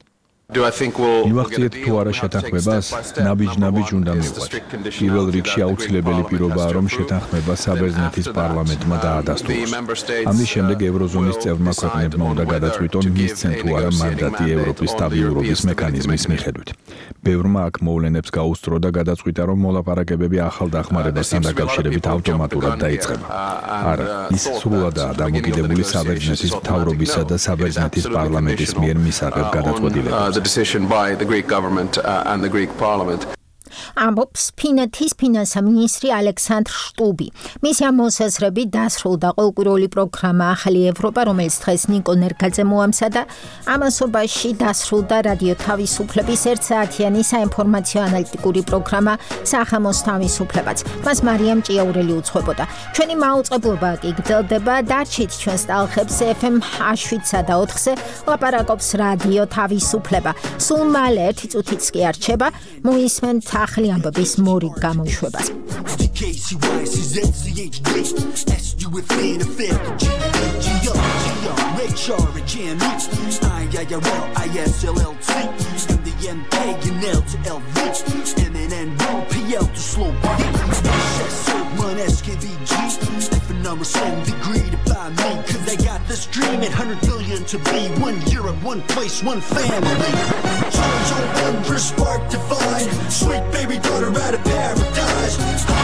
მივახციეთ თუ არა შეთანხმებას, ნაბიჯ-ნაბიჯ უნდა მივყვეთ. პირველ რიგში აუცილებელი პირობაა, რომ შეთანხმება საბერძნეთის პარლამენტმა დაადასტუროს. ამის შემდეგ ევროზონის წევრმა ქვეყნებმა უნდა გადაწყვიტონ, მისცენ თუ არა მანდატი ევროპის სტაბილურობის მექანიზმის მიხედვით. ბევრმა აქ მოვლენებს გაუსწრო და გადაწყვიტა, რომ მოლაპარაკებები ახალ დახმარებასთან დაკავშირებით ავტომატურად დაიწყება. არა, ის სრულადაა დამოკიდებული საბერძნეთის მთავრობისა და საბერძნეთის პარლამენტის მიერ მისაღებ გადაწყვეტილებებზე. The decision by the Greek government and the Greek parliament. ამბობს ფინეთის ფინანსთა მინისტრი ალექსანდრ შტუბი. მისი მოსაზრებით დასრულდა ყოველკვირეული პროგრამა ახალი ევროპა, რომელიც დღეს ნიკო ნერგაძე მოამზადა. ამასობაში დასრულდა რადიო თავისუფლების 1 საათიანი საინფორმაციო ანალიტიკური პროგრამა სახამოს თავისუფლებაც. მას მარიამ ჭიაურელი უძღვებოდა. ჩვენი მაუწყებლობა კი გრძელდება. დარჩით ჩვენს ტალღებს FM 7-სა და 4-ზე ლაპარაკობს რადიო თავისუფლება. სულ მალე 1 წუთიც კი არ რჩება. მოისმენთ ახალი ამბების მორიგ გამოშვებას. They got this dream at 100 billion to be one Europe, one place, one family. Jojo wondrous spark divine, sweet baby daughter out of paradise.